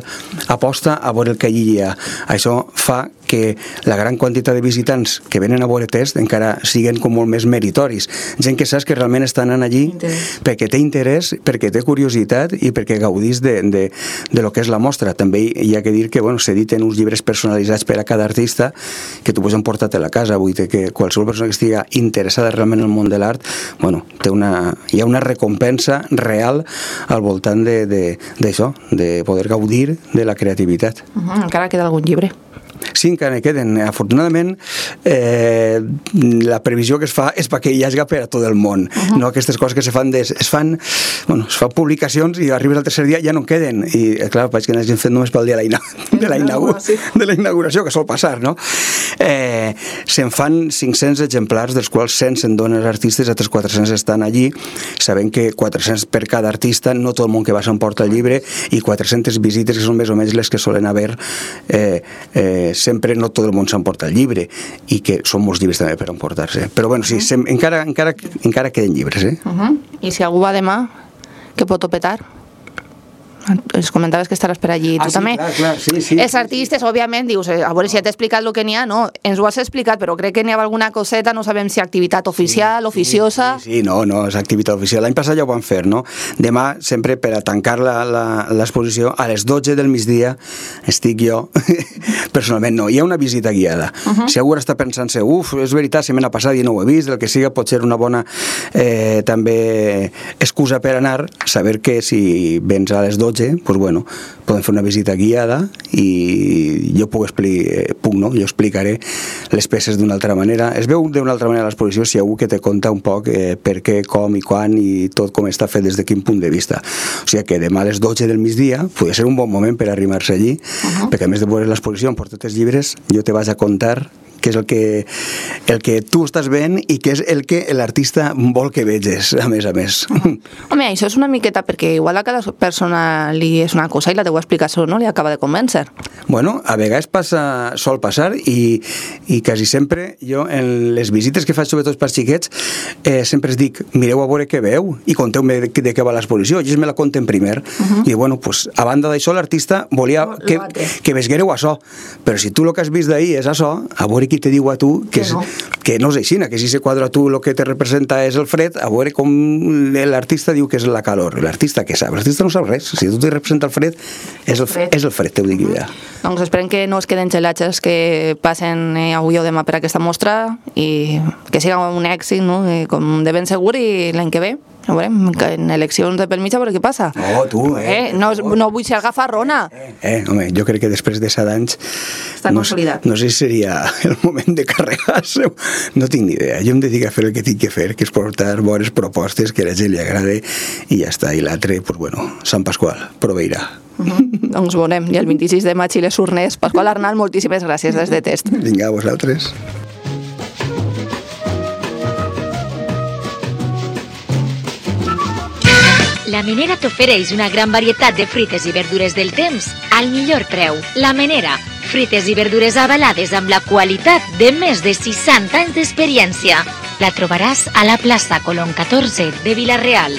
a posta a veure el que allí hi ha. Això fa que que la gran quantitat de visitants que venen a veure test encara siguen com molt més meritoris. Gent que saps que realment estan anant allí perquè té interès, perquè té curiositat i perquè gaudís de lo que és la mostra. També hi ha que dir que s'editen uns llibres personalitzats per a cada artista que tu pots emportar a la casa. Vull dir que qualsevol persona que estigui interessada realment en el món de l'art, hi ha una recompensa real al voltant d'això, de poder gaudir de la creativitat. Encara queda algun llibre. Sí, encara queden. Afortunadament, la previsió que es fa és perquè hi hagi per a tot el món. No aquestes coses que es fan publicacions i arribes al tercer dia ja no en queden. I, clar, vaig que n'hagin fet només pel dia de la inauguració, que sol passar, no? Se'n fan 500 exemplars, dels quals 100 se'n donen als artistes, altres 400 estan allí, sabent que 400 per cada artista, no tot el món que va s'emporta el llibre, i 400 visites, que són més o menys les que solen haver sempre no tot el món s'emporta el llibre i que són molts llibres també per emportar-se, però bueno, sí, encara queden llibres. I si algú va demà, què pot petar? Els comentaves que estaràs per allí, tu també. Clar, sí. Els artistes, òbviament, dius, a veure si ja t'he explicat el que n'hi ha, no, ens ho has explicat, però crec que n'hi ha alguna coseta, no sabem si activitat oficial, oficiosa... Sí, no, és activitat oficial. L'any passat ja ho van fer, no? Demà, sempre per a tancar l'exposició, a les 12 del migdia, estic jo, personalment no, hi ha una visita guiada. Si algú està pensant-se, és veritat, setmana passada i no ho he vist, el que siga pot ser una bona també excusa per anar, saber que si vens a les 12 podem fer una visita guiada i jo jo explicaré les peces d'una altra manera. Es veu d'una altra manera l'exposició si hi ha algú que te conta un poc per què, com i quan i tot com està fet des de quin punt de vista. O sigui que demà a les 12 del migdia podria ser un bon moment per arribar-se allí, perquè a més de veure l'exposició, emportar els llibres, jo te vaig a contar què és el que tu estàs veient i què és el que l'artista vol que veges, a més. Home, això és una miqueta perquè igual a cada persona li és una cosa i la teva explicació no li acaba de convèncer. Bueno, a vegades sol passar i quasi sempre jo en les visites que faig sobretot per xiquets sempre es dic, mireu a veure què veu i conteu-me de què va l'exposició, i ells me la conten primer i bueno, a banda d'això l'artista volia que veguereu això, però si tu el que has vist d'ahir és això, a veure qui te diu a tu que no és així, que si se quadra tu el que te representa és el fred, a veure com l'artista diu que és la calor. L'artista què sap? L'artista no sap res. Si tu te representa el fred, és el fred, t'ho dic ja. Doncs esperem que no es queden gelatges que passen avui o demà per aquesta mostra i que siga un èxit, no? Com de ben segur, i l'any que ve a veure, en eleccions de pel mig a veure què passa. No vull ser gafarrona. Home, jo crec que després de 7 anys no sé si seria el moment de carregar-se, no tinc ni idea. Jo em dedico a fer el que tinc que fer, que és portar bones propostes que a la gent li agrade i ja està, i l'altre, Sant Pasqual, proveirà. Doncs veurem, i el 26 de maig i les urnes. Pasqual Arnal, moltíssimes gràcies des de Test. Vinga, a vosaltres. La Menera t'ofereix una gran varietat de fruites i verdures del temps al millor preu. La Menera, fruites i verdures avalades amb la qualitat de més de 60 anys d'experiència. La trobaràs a la plaça Colón 14 de Vila-real.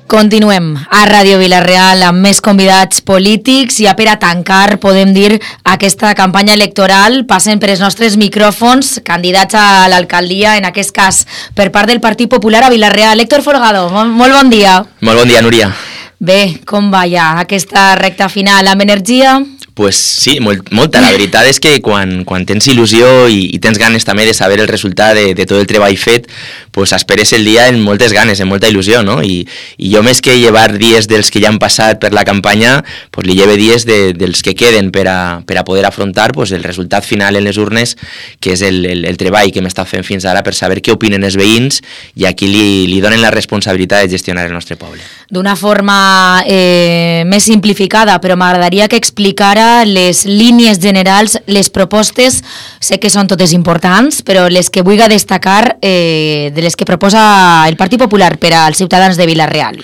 Continuem a Ràdio Vila-real amb més convidats polítics i per a tancar, podem dir, aquesta campanya electoral passen per els nostres micròfons candidats a l'alcaldia, en aquest cas per part del Partit Popular a Vila-real. Héctor Folgado, molt bon dia. Molt bon dia, Núria. Bé, com va ja aquesta recta final? Amb energia? Pues sí, molta. La veritat és que quan tens il·lusió i tens ganes també de saber el resultat de tot el treball fet, pues esperes el dia amb moltes ganes, amb molta il·lusió, no? I jo, més que llevar dies dels que ja han passat per la campanya, pues li lleve dies dels que queden per a poder afrontar pues el resultat final en les urnes, que és el treball que hem estat fent fins ara per saber què opinen els veïns i a qui li donen la responsabilitat de gestionar el nostre poble. D'una forma més simplificada, però m'agradaria que explicara les línies generals, les propostes, sé que són totes importants, però les que vull destacar de les que proposa el Partit Popular per als ciutadans de Vila-real.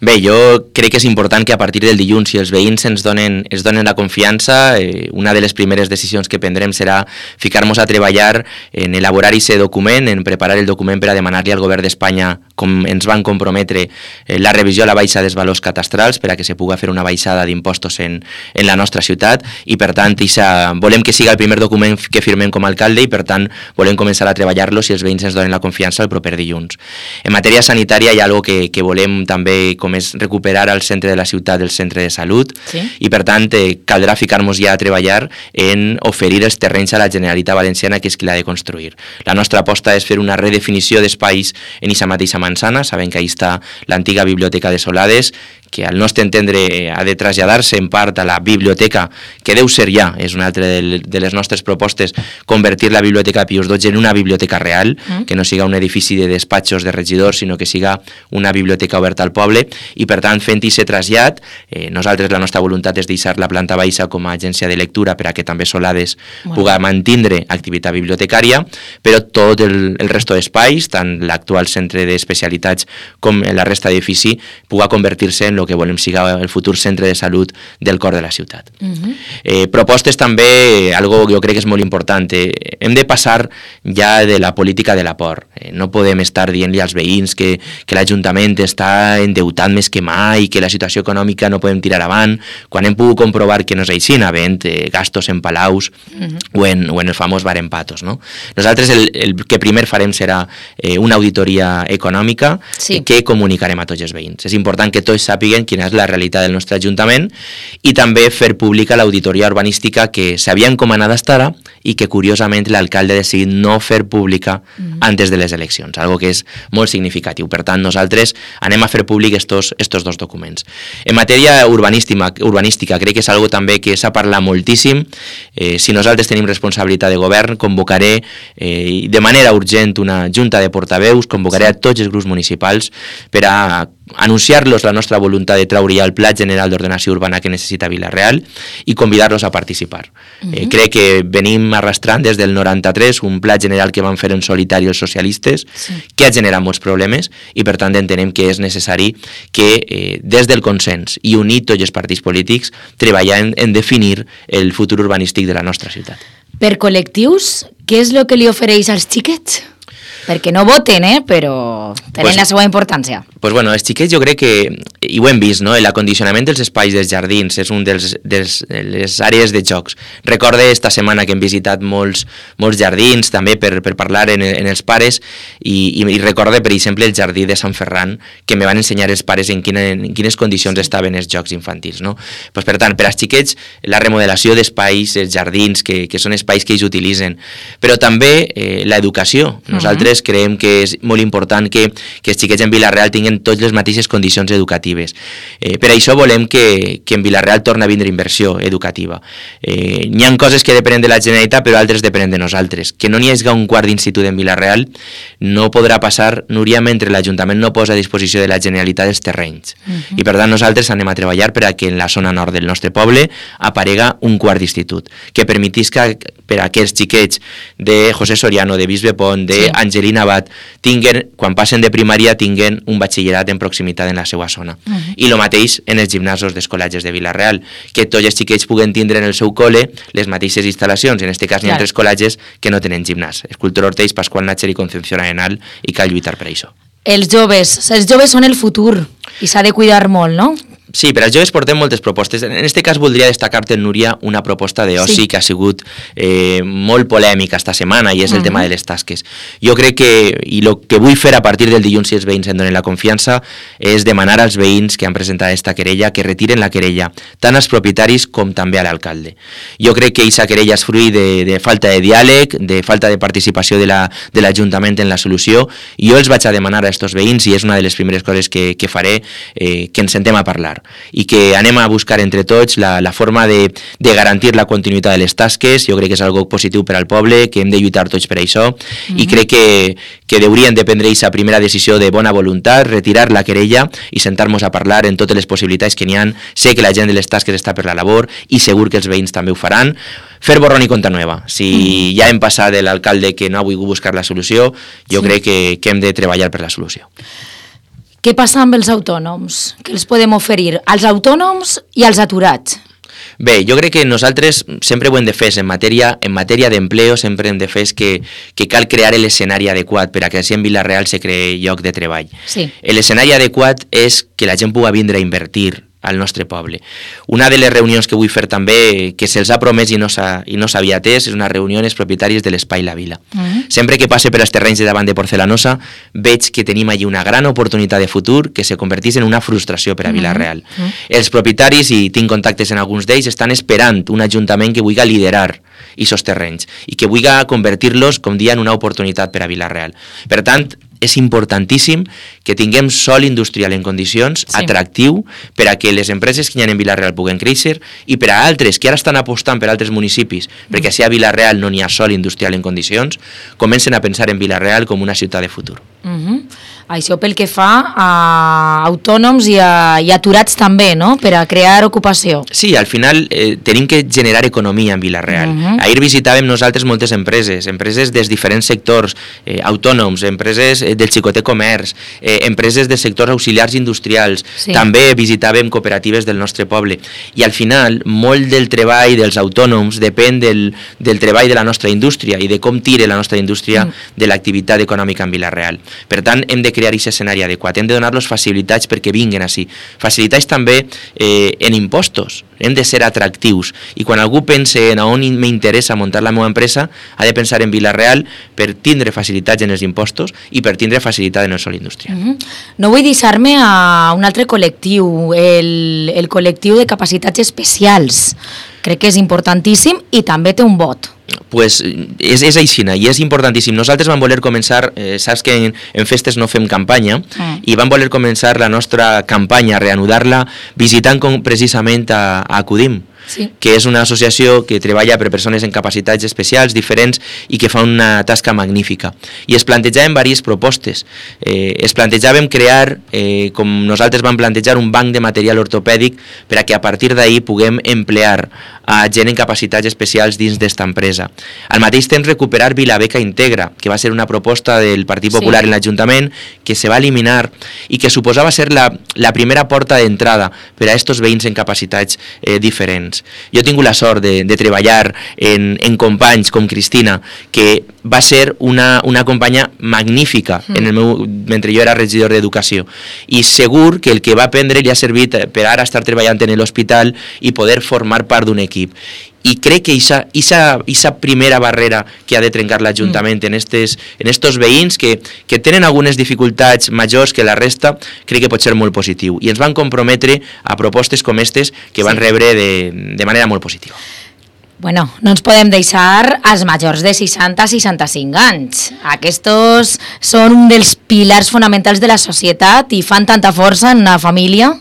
Bé, jo crec que és important que a partir del dilluns, si els veïns ens donen la confiança, una de les primeres decisions que prendrem serà ficar-nos a treballar en elaborar aquest document, en preparar el document per a demanar-li al govern d'Espanya, com ens van comprometre, la revisió a la baixa dels valors catastrals per a que se puga fer una baixada d'impostos en la nostra ciutat i, per tant, volem que siga el primer document que firmem com a alcalde i, per tant, volem començar a treballar-lo si els veïns ens donen la confiança el proper dilluns. En matèria sanitària hi ha algo que volem també, com és recuperar al centre de la ciutat el centre de salut, i per tant caldrà ficar-nos ja a treballar en oferir els terrenys a la Generalitat Valenciana, que és qui l'ha de construir. La nostra aposta és fer una redefinició d'espais en aquesta mateixa manzana. Sabem que ahí està l'antiga biblioteca de Solades, que al nostre entendre ha de traslladar-se en part a la biblioteca, que deu ser ja, és una altra de les nostres propostes, convertir la biblioteca Pius XII en una biblioteca real, que no siga un edifici de despatxos de regidors, sinó que siga una biblioteca oberta al poble, i per tant, fent aquest trasllat, nosaltres la nostra voluntat és deixar la planta baixa com a agència de lectura per a que també Solades puga mantindre activitat bibliotecària, però tot el resto d'espais, tant l'actual centre d'especialitats com la resta d'edifici, puga convertir-se en el que volem siga el futur centre de salut del cor de la ciutat. Propostes també, algo que jo crec que és molt important, hem de passar ja de la política de la por. No podem estar dient-li als veïns que l'Ajuntament està endeutat més que mai, que la situació econòmica no podem tirar avant, quan hem pogut comprovar que no és així, havent gastos en palaus o en el famós bar en patos. Nosaltres el que primer farem serà una auditoria econòmica que comunicarem a tots els veïns. És important que tots sàpiguen quina és la realitat del nostre Ajuntament i també fer pública l'auditoria urbanística que s'havia encomanat estar i que curiosament l'alcalde ha decidit no fer pública antes de les eleccions, algo que és molt significatiu. Per tant, nosaltres anem a fer públic estos dos documents. En matèria urbanística crec que és algo també que s'ha parlat moltíssim. Si nosaltres tenim responsabilitat de govern, convocaré de manera urgent una junta de portaveus, convocaré a tots els grups municipals per a anunciar-los la nostra voluntat de treure ja el Pla General d'Ordenació Urbana que necessita Vila-real i convidar-los a participar. Crec que venim arrastrant des del 93 un Pla General que van fer en solitari els socialistes, que ha generat molts problemes i per tant entenem que és necessari que des del consens i unir tots els partits polítics treballar en definir el futur urbanístic de la nostra ciutat. Per col·lectius, què és el que li ofereix als xiquets? Perquè no voten, però tenen la seva importància. Els xiquets jo crec que, i ho hem vist, l'acondicionament dels espais dels jardins és un de les àrees de jocs. Recorde esta setmana que hem visitat molts jardins, també per parlar en els pares, i recorde, per exemple, el jardí de Sant Ferran, que me van ensenyar els pares en quines condicions estaven els jocs infantils. Per tant, per als xiquets, la remodelació d'espais, els jardins, que són espais que ells utilitzen, però també l'educació. Nosaltres creiem que és molt important que els xiquets en Vila-real tinguin totes les mateixes condicions educatives. Per això volem que en Vila-real torni a vindre inversió educativa. N'hi ha coses que depenen de la Generalitat, però altres depenen de nosaltres. Que no n'hi hagi un quart d'institut en Vila-real no podrà passar, Núria, mentre l'Ajuntament no posa a disposició de la Generalitat els terrenys. I per tant nosaltres anem a treballar per a que en la zona nord del nostre poble aparega un quart d'institut, que permetisca per a aquests xiquets de José Soriano, de Bisbe Pont, d'Angelina Abad, quan passen de primària tinguen un batxillerat en proximitat en la seva zona. I el mateix en els gimnasos dels col·legis de Vila-real, que tots els xiquets puguen tindre en el seu col·le les mateixes instal·lacions. En aquest cas n'hi ha 3 col·legis que no tenen gimnàs. Escultor Ortells, Pasqual Natxer i Concepción Arenal, i cal lluitar per això. Els joves són el futur i s'ha de cuidar molt, no? Sí, per als joves portem moltes propostes. En aquest cas voldria destacar-te, Núria, una proposta d'oci que ha sigut molt polèmica esta setmana i és el tema de les tasques. Jo crec que, i el que vull fer a partir del dilluns si els veïns em donen la confiança, és demanar als veïns que han presentat aquesta querella que retiren la querella, tant als propietaris com també a l'alcalde. Jo crec que aquesta querella és fruit de falta de diàleg, de falta de participació de l'Ajuntament en la solució, i jo els vaig a demanar a aquests veïns, i és una de les primeres coses que faré, que ens sentem a parlar i que anem a buscar entre tots la forma de garantir la continuïtat de les tasques. Jo crec que és algo positiu per al poble, que hem de lluitar tots per això, i crec que haurien de prendre aquesta primera decisió de bona voluntat, retirar la querella i sentar-nos a parlar en totes les possibilitats que n'hi ha. Sé que la gent de les tasques està per la labor i segur que els veïns també ho faran. Fer borrón i compta nova. Si ja hem passat de l'alcalde que no ha volgut buscar la solució, jo crec que hem de treballar per la solució. Què passa amb els autònoms? Què els podem oferir als autònoms i als aturats? Bé, jo crec que nosaltres sempre ho hem de fer, en matèria d'empleo sempre hem de fer que cal crear l'escenari adequat per a que així en Vila-real se creï lloc de treball. Sí. L'escenari adequat és que la gent pugui vindre a invertir al nostre poble. Una de les reunions que vull fer també, que se'ls ha promès i no s'havia atès, és una reunió amb els propietaris de l'Espai La Vila. Sempre que passe per als terrenys de davant de Porcelanosa, veig que tenim allí una gran oportunitat de futur que se convertís en una frustració per a Vila-real. Els propietaris, i tinc contactes en alguns d'ells, estan esperant un ajuntament que vulgui liderar aquests terrenys i que vulgui convertir-los, com dia, en una oportunitat per a Vila-real. Per tant, és importantíssim que tinguem sòl industrial en condicions, atractiu, per a que les empreses que hi ha en Vila-real puguen créixer i per a altres que ara estan apostant per altres municipis, perquè si a Vila-real no n'hi ha sòl industrial en condicions, comencen a pensar en Vila-real com una ciutat de futur. Això pel que fa a autònoms i aturats també, no?, per a crear ocupació. Sí, al final tenim que generar economia en Vila-real. Ahir visitàvem nosaltres moltes empreses dels diferents sectors, autònoms, empreses del xicoter comerç, empreses de sectors auxiliars industrials, també visitàvem cooperatives del nostre poble. I al final, molt del treball dels autònoms depèn del treball de la nostra indústria i de com tire la nostra indústria de l'activitat econòmica en Vila-real. Per tant, hem de crear aquest escenari adequat, hem de donar-los facilitats perquè vinguin així. Facilitats també en impostos, hem de ser atractius. I quan algú pense en on m'interessa muntar la meva empresa, ha de pensar en Vila-real per tindre facilitats en els impostos i per tindre facilitat en el sòl industrial. No vull deixar-me a un altre col·lectiu, el col·lectiu de capacitats especials. Crec que és importantíssim i també té un vot. Pues és aixina i és importantíssim. Nosaltres vam voler començar, saps que en festes no fem campanya, i vam voler començar la nostra campanya, reanudar-la, visitant precisament a Acudim, que és una associació que treballa per persones amb capacitats especials diferents i que fa una tasca magnífica. I es plantejaven diverses propostes. Es plantejàvem crear, com nosaltres vam plantejar, un banc de material ortopèdic per a que a partir d'ahir puguem emplear a gent en capacitats especials dins d'esta empresa. Al mateix temps recuperar Vilabeca Integra, que va ser una proposta del Partit Popular en l'Ajuntament que se va eliminar i que suposava ser la primera porta d'entrada per a estos veïns en capacitats diferents. Jo he tingut la sort de treballar en companys com Cristina, que va ser una companya magnífica mentre jo era regidor d'Educació, i segur que el que va aprendre li ha servit per ara estar treballant en l'hospital i poder formar part d'un equip. I crec que aquesta primera barrera que ha de trencar l'Ajuntament en estos veïns que tenen algunes dificultats majors que la resta, crec que pot ser molt positiu. I ens van comprometre a propostes com aquestes que van rebre de manera molt positiva. Bueno, no ens podem deixar als majors de 60 a 65 anys. Aquests són un dels pilars fonamentals de la societat i fan tanta força en una família.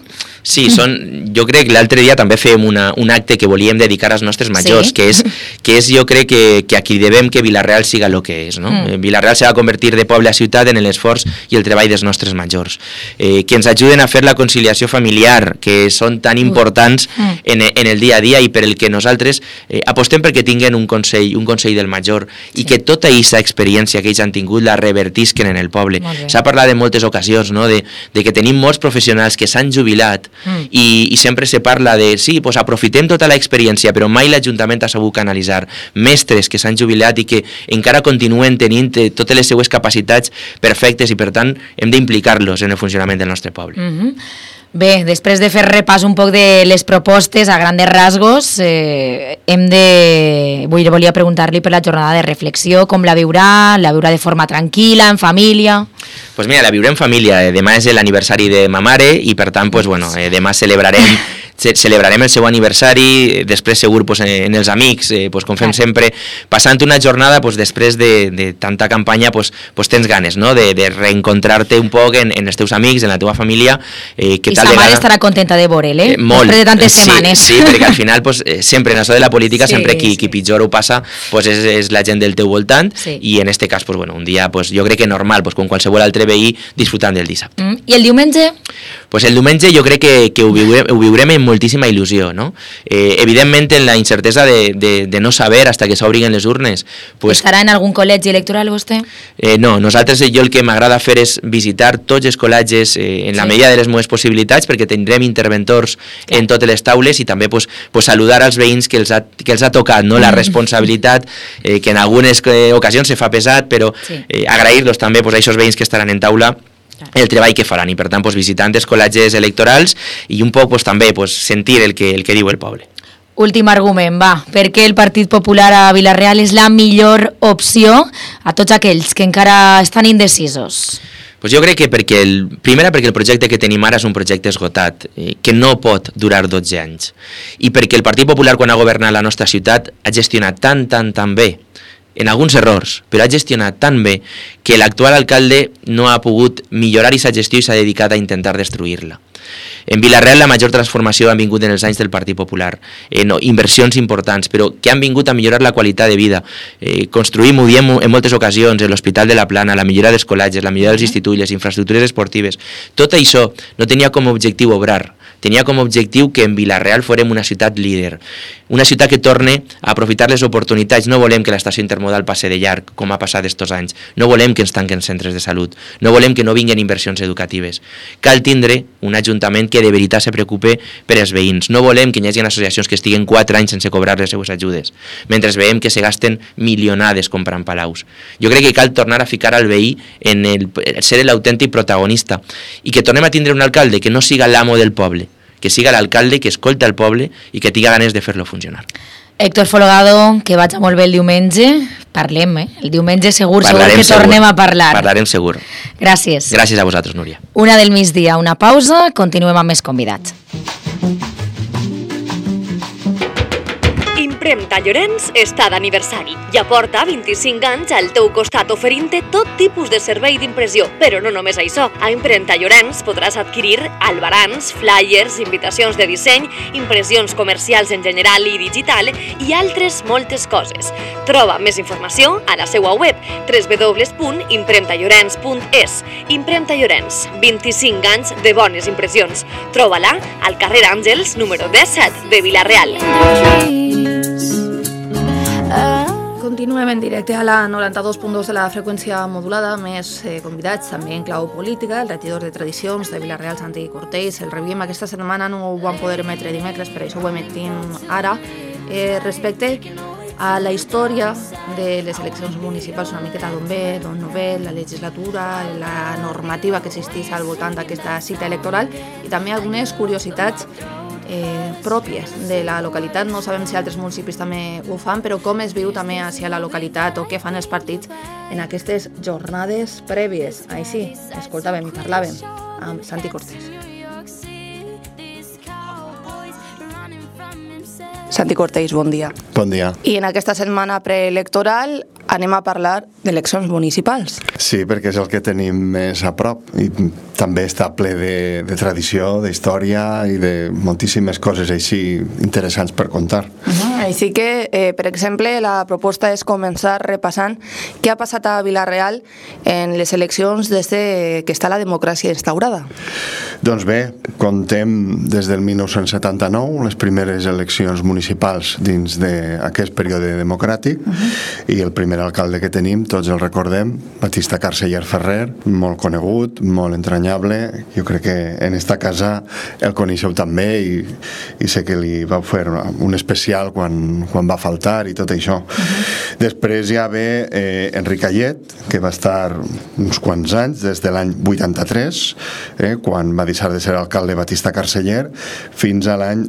Sí, jo crec que l'altre dia també fèiem un acte que volíem dedicar als nostres majors, que és jo crec que aquí devem que Vila-real siga el que és. Vila-real se va convertir de poble a ciutat en l'esforç i el treball dels nostres majors. Que ens ajuden a fer la conciliació familiar, que són tan importants en el dia a dia i per el que nosaltres apostem perquè tinguen un consell del major i que tota aquesta experiència que ells han tingut la revertisquen en el poble. S'ha parlat en moltes ocasions de que tenim molts professionals que s'han jubilat i sempre se parla de, sí, pues aprofitem tota l'experiència, però mai l'Ajuntament ha sabut canalitzar mestres que s'han jubilat i que encara continuen tenint totes les seues capacitats perfectes i per tant hem d'implicar-los en el funcionament del nostre poble. Bé, després de fer repàs un poc de les propostes a grandes rasgos, volia preguntar-li per la jornada de reflexió, com la viurà de forma tranquil·la, en família? Pues mira, la viurem en família. Demà és l'aniversari de ma mare i per tant, pues, bueno, demà celebrarem el seu aniversari, després segur en els amics, com fem sempre, passant una jornada després de tanta campanya, tens ganes de reencontrar-te un poc en els teus amics, en la teva família. I sa mare estarà contenta de veure'l, després de tantes setmanes. Sí, perquè al final sempre en això de la política, sempre qui pitjor ho passa és la gent del teu voltant i en este cas un dia jo crec que normal, com qualsevol altre veí, disfrutant del dissabte. I el diumenge? Pues el diumenge jo crec que ho viurem amb moltíssima il·lusió, no? Evidentment, en la incertesa de no saber hasta que s'obrin les urnes. Pues, ¿estarà en algun col·legi electoral vostè? No, nosaltres jo el que m'agrada fer és visitar tots els col·legis en la medida de les meves possibilitats, perquè tindrem interventors en totes les taules i també pues, saludar als veïns que els ha tocat, no? La responsabilitat que en algunes ocasions se fa pesat, però agrair-los també pues, a aquests veïns que estaran en taula el treball que faran i per tant pues, visitant els col·legis electorals i un poc pues, també pues, sentir el que diu el poble. Últim argument, va. Per què el Partit Popular a Vila-real és la millor opció a tots aquells que encara estan indecisos? Pues jo crec que primera perquè el projecte que tenim ara és un projecte esgotat, que no pot durar 12 anys. I perquè el Partit Popular, quan ha governat la nostra ciutat, ha gestionat tan bé, en alguns errors, però ha gestionat tan bé que l'actual alcalde no ha pogut millorar aquesta gestió i s'ha dedicat a intentar destruir-la. En Vila-real la major transformació han vingut en els anys del Partit Popular, inversions importants, però que han vingut a millorar la qualitat de vida. Construïm, ho diem en moltes ocasions, l'Hospital de la Plana, la millora dels col·legis, la millora dels instituts, les infraestructures esportives. Tot això no tenia com a objectiu obrar, tenia com a objectiu que en Vila-real fórem una ciutat líder, una ciutat que torne a aprofitar les oportunitats. No volem que l'estació intermodal passi de llarg, com ha passat estos anys. No volem que ens tanquen centres de salut. No volem que no vinguin inversions educatives. Cal tindre un ajuntament que de veritat se preocupe per als veïns. No volem que hi hagi associacions que estiguen 4 anys sense cobrar les seues ajudes, mentre veiem que se gasten milionades comprant palaus. Jo crec que cal tornar a ficar al veí en ser l'autèntic protagonista i que tornem a tindre un alcalde que no siga l'amo del poble, que siga l'alcalde que escolta el poble i que tinga ganes de fer-lo funcionar. Héctor Folgado, que vaig molt bé el diumenge. Parlem, el diumenge segur que tornem a parlar. Parlarem segur. Gràcies. Gràcies a vosaltres, Núria. 1 del migdia, una pausa, continuem amb més convidats. Impremta Llorenç està d'aniversari i aporta 25 anys al teu costat oferint-te tot tipus de servei d'impressió. Però no només això. A Impremta Llorenç podràs adquirir albarans, flyers, invitacions de disseny, impressions comercials en general i digital i altres moltes coses. Troba més informació a la seva web www.impremtallorens.es. Impremta Llorenç, 25 anys de bones impressions. Troba-la al carrer Àngels, número 17 de Vila-real. Continuem en directe a la 92.2 de la freqüència modulada, més convidats també en clau política, el regidor de Tradicions de Vila-real, Santi Cortés. El revíem aquesta setmana, no ho vam poder emetre dimecres, per això ho emetim ara. Respecte a la història de les eleccions municipals, una miqueta d'on ve, d'on no ve, la legislatura, la normativa que existeix al voltant d'aquesta cita electoral i també algunes curiositats pròpies de la localitat. No sabem si altres municipis també ho fan, però com es viu també hacia la localitat o què fan els partits en aquestes jornades prèvies. Així, escoltàvem i parlàvem amb Santi Cortés. Santi Cortés, bon dia. Bon dia. I en aquesta setmana preelectoral anem a parlar d'eleccions municipals. Sí, perquè és el que tenim més a prop i també està ple de tradició, d'història i de moltíssimes coses així interessants per contar. Així que, per exemple, la proposta és començar repassant què ha passat a Vila-real en les eleccions des que està la democràcia instaurada. Doncs bé, contem des del 1979, les primeres eleccions municipals dins d'aquest període democràtic i el primer alcalde que tenim, tots el recordem, Batista Carceller Ferrer, molt conegut, molt entranyable. Jo crec que en esta casa el coneixeu també i sé que li vau fer un especial quan va faltar i tot això. Després ja ve Enric Ayet, que va estar uns quants anys, des de l'any 83, quan va deixar de ser alcalde Batista Carceller, fins a l'any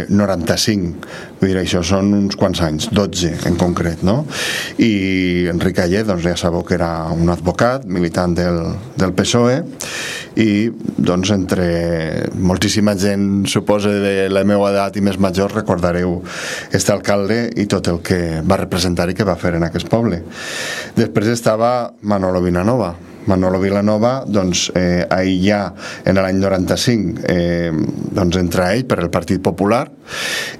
95. Vull dir, això són uns quants anys, 12 en concret, no? I Enric Ayet, doncs ja sabeu que era un advocat, militant del PSOE, i doncs entre moltíssima gent, suposa de la meva edat i més major, recordareu este alcalde i tot el que va representar i que va fer en aquest poble. Després estava Manolo Vilanova. Manolo Vilanova, doncs, ahir ja, en l'any 95, doncs entra ell per el Partit Popular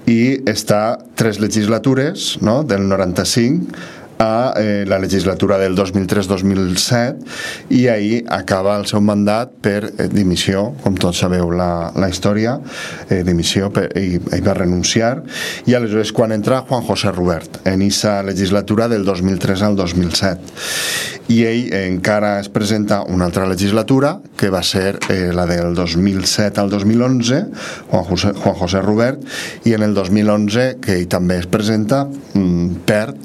i està 3 legislatures, no?, del 95 a la legislatura del 2003-2007 i ahir acaba el seu mandat per dimissió, com tots sabeu la història, dimissió i va renunciar, i aleshores quan entra Juan José Rubert en aquesta legislatura del 2003 al 2007 i ell encara es presenta una altra legislatura que va ser la del 2007 al 2011, Juan José Rubert, i en el 2011 que ell també es presenta, perd,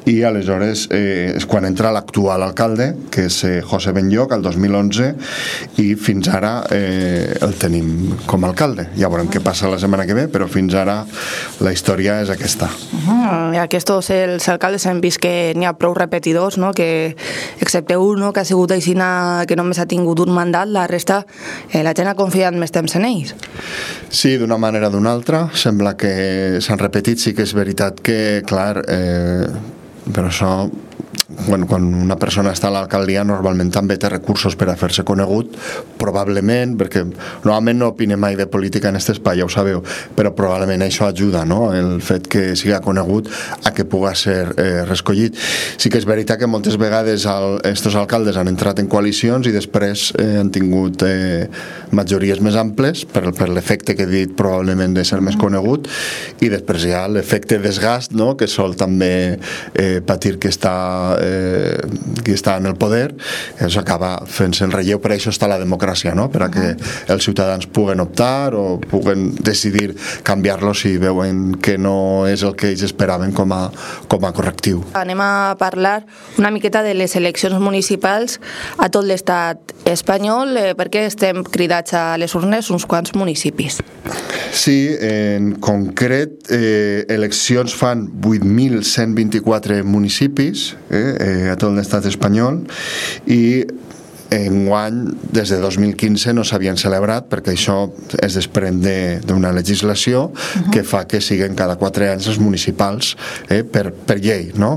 i aleshores és quan entra l'actual alcalde, que és José Benlloch, el 2011, i fins ara el tenim com a alcalde. Ja veurem què passa la setmana que ve, però fins ara la història és aquesta. I aquests els alcaldes hem vist que n'hi ha prou repetidors, no? Que excepte un, no? Que ha sigut aixina, que només ha tingut un mandat, la resta la gent ha confiat més temps en ells. Sí, d'una manera o d'una altra, sembla que s'han repetit, sí que és veritat que, clar, però això, quan una persona està a l'alcaldia normalment també té recursos per a fer-se conegut, probablement, perquè normalment no opine mai de política en aquest espai, ja ho sabeu, però probablement això ajuda, no?, el fet que siga conegut a que puga ser reescollit. Sí que és veritat que moltes vegades estos alcaldes han entrat en coalicions i després han tingut majories més amples per l'efecte que he dit probablement de ser més conegut, i després hi ha l'efecte desgast, no?, que sol també patir qui està en el poder, això acaba fent-se en relleu. Per això està la democràcia, no?, per a que els ciutadans puguen optar o puguen decidir canviar-lo si veuen que no és el que ells esperaven com a correctiu. Anem a parlar una miqueta de les eleccions municipals a tot l'estat espanyol, perquè estem cridats a les urnes uns quants municipis. Sí, en concret, eleccions fan 8.124 municipis a tot l'estat espanyol, i enguany, des de 2015 no s'havien celebrat, perquè això es desprèn d'una legislació que fa que siguin cada 4 anys els municipals per llei, no?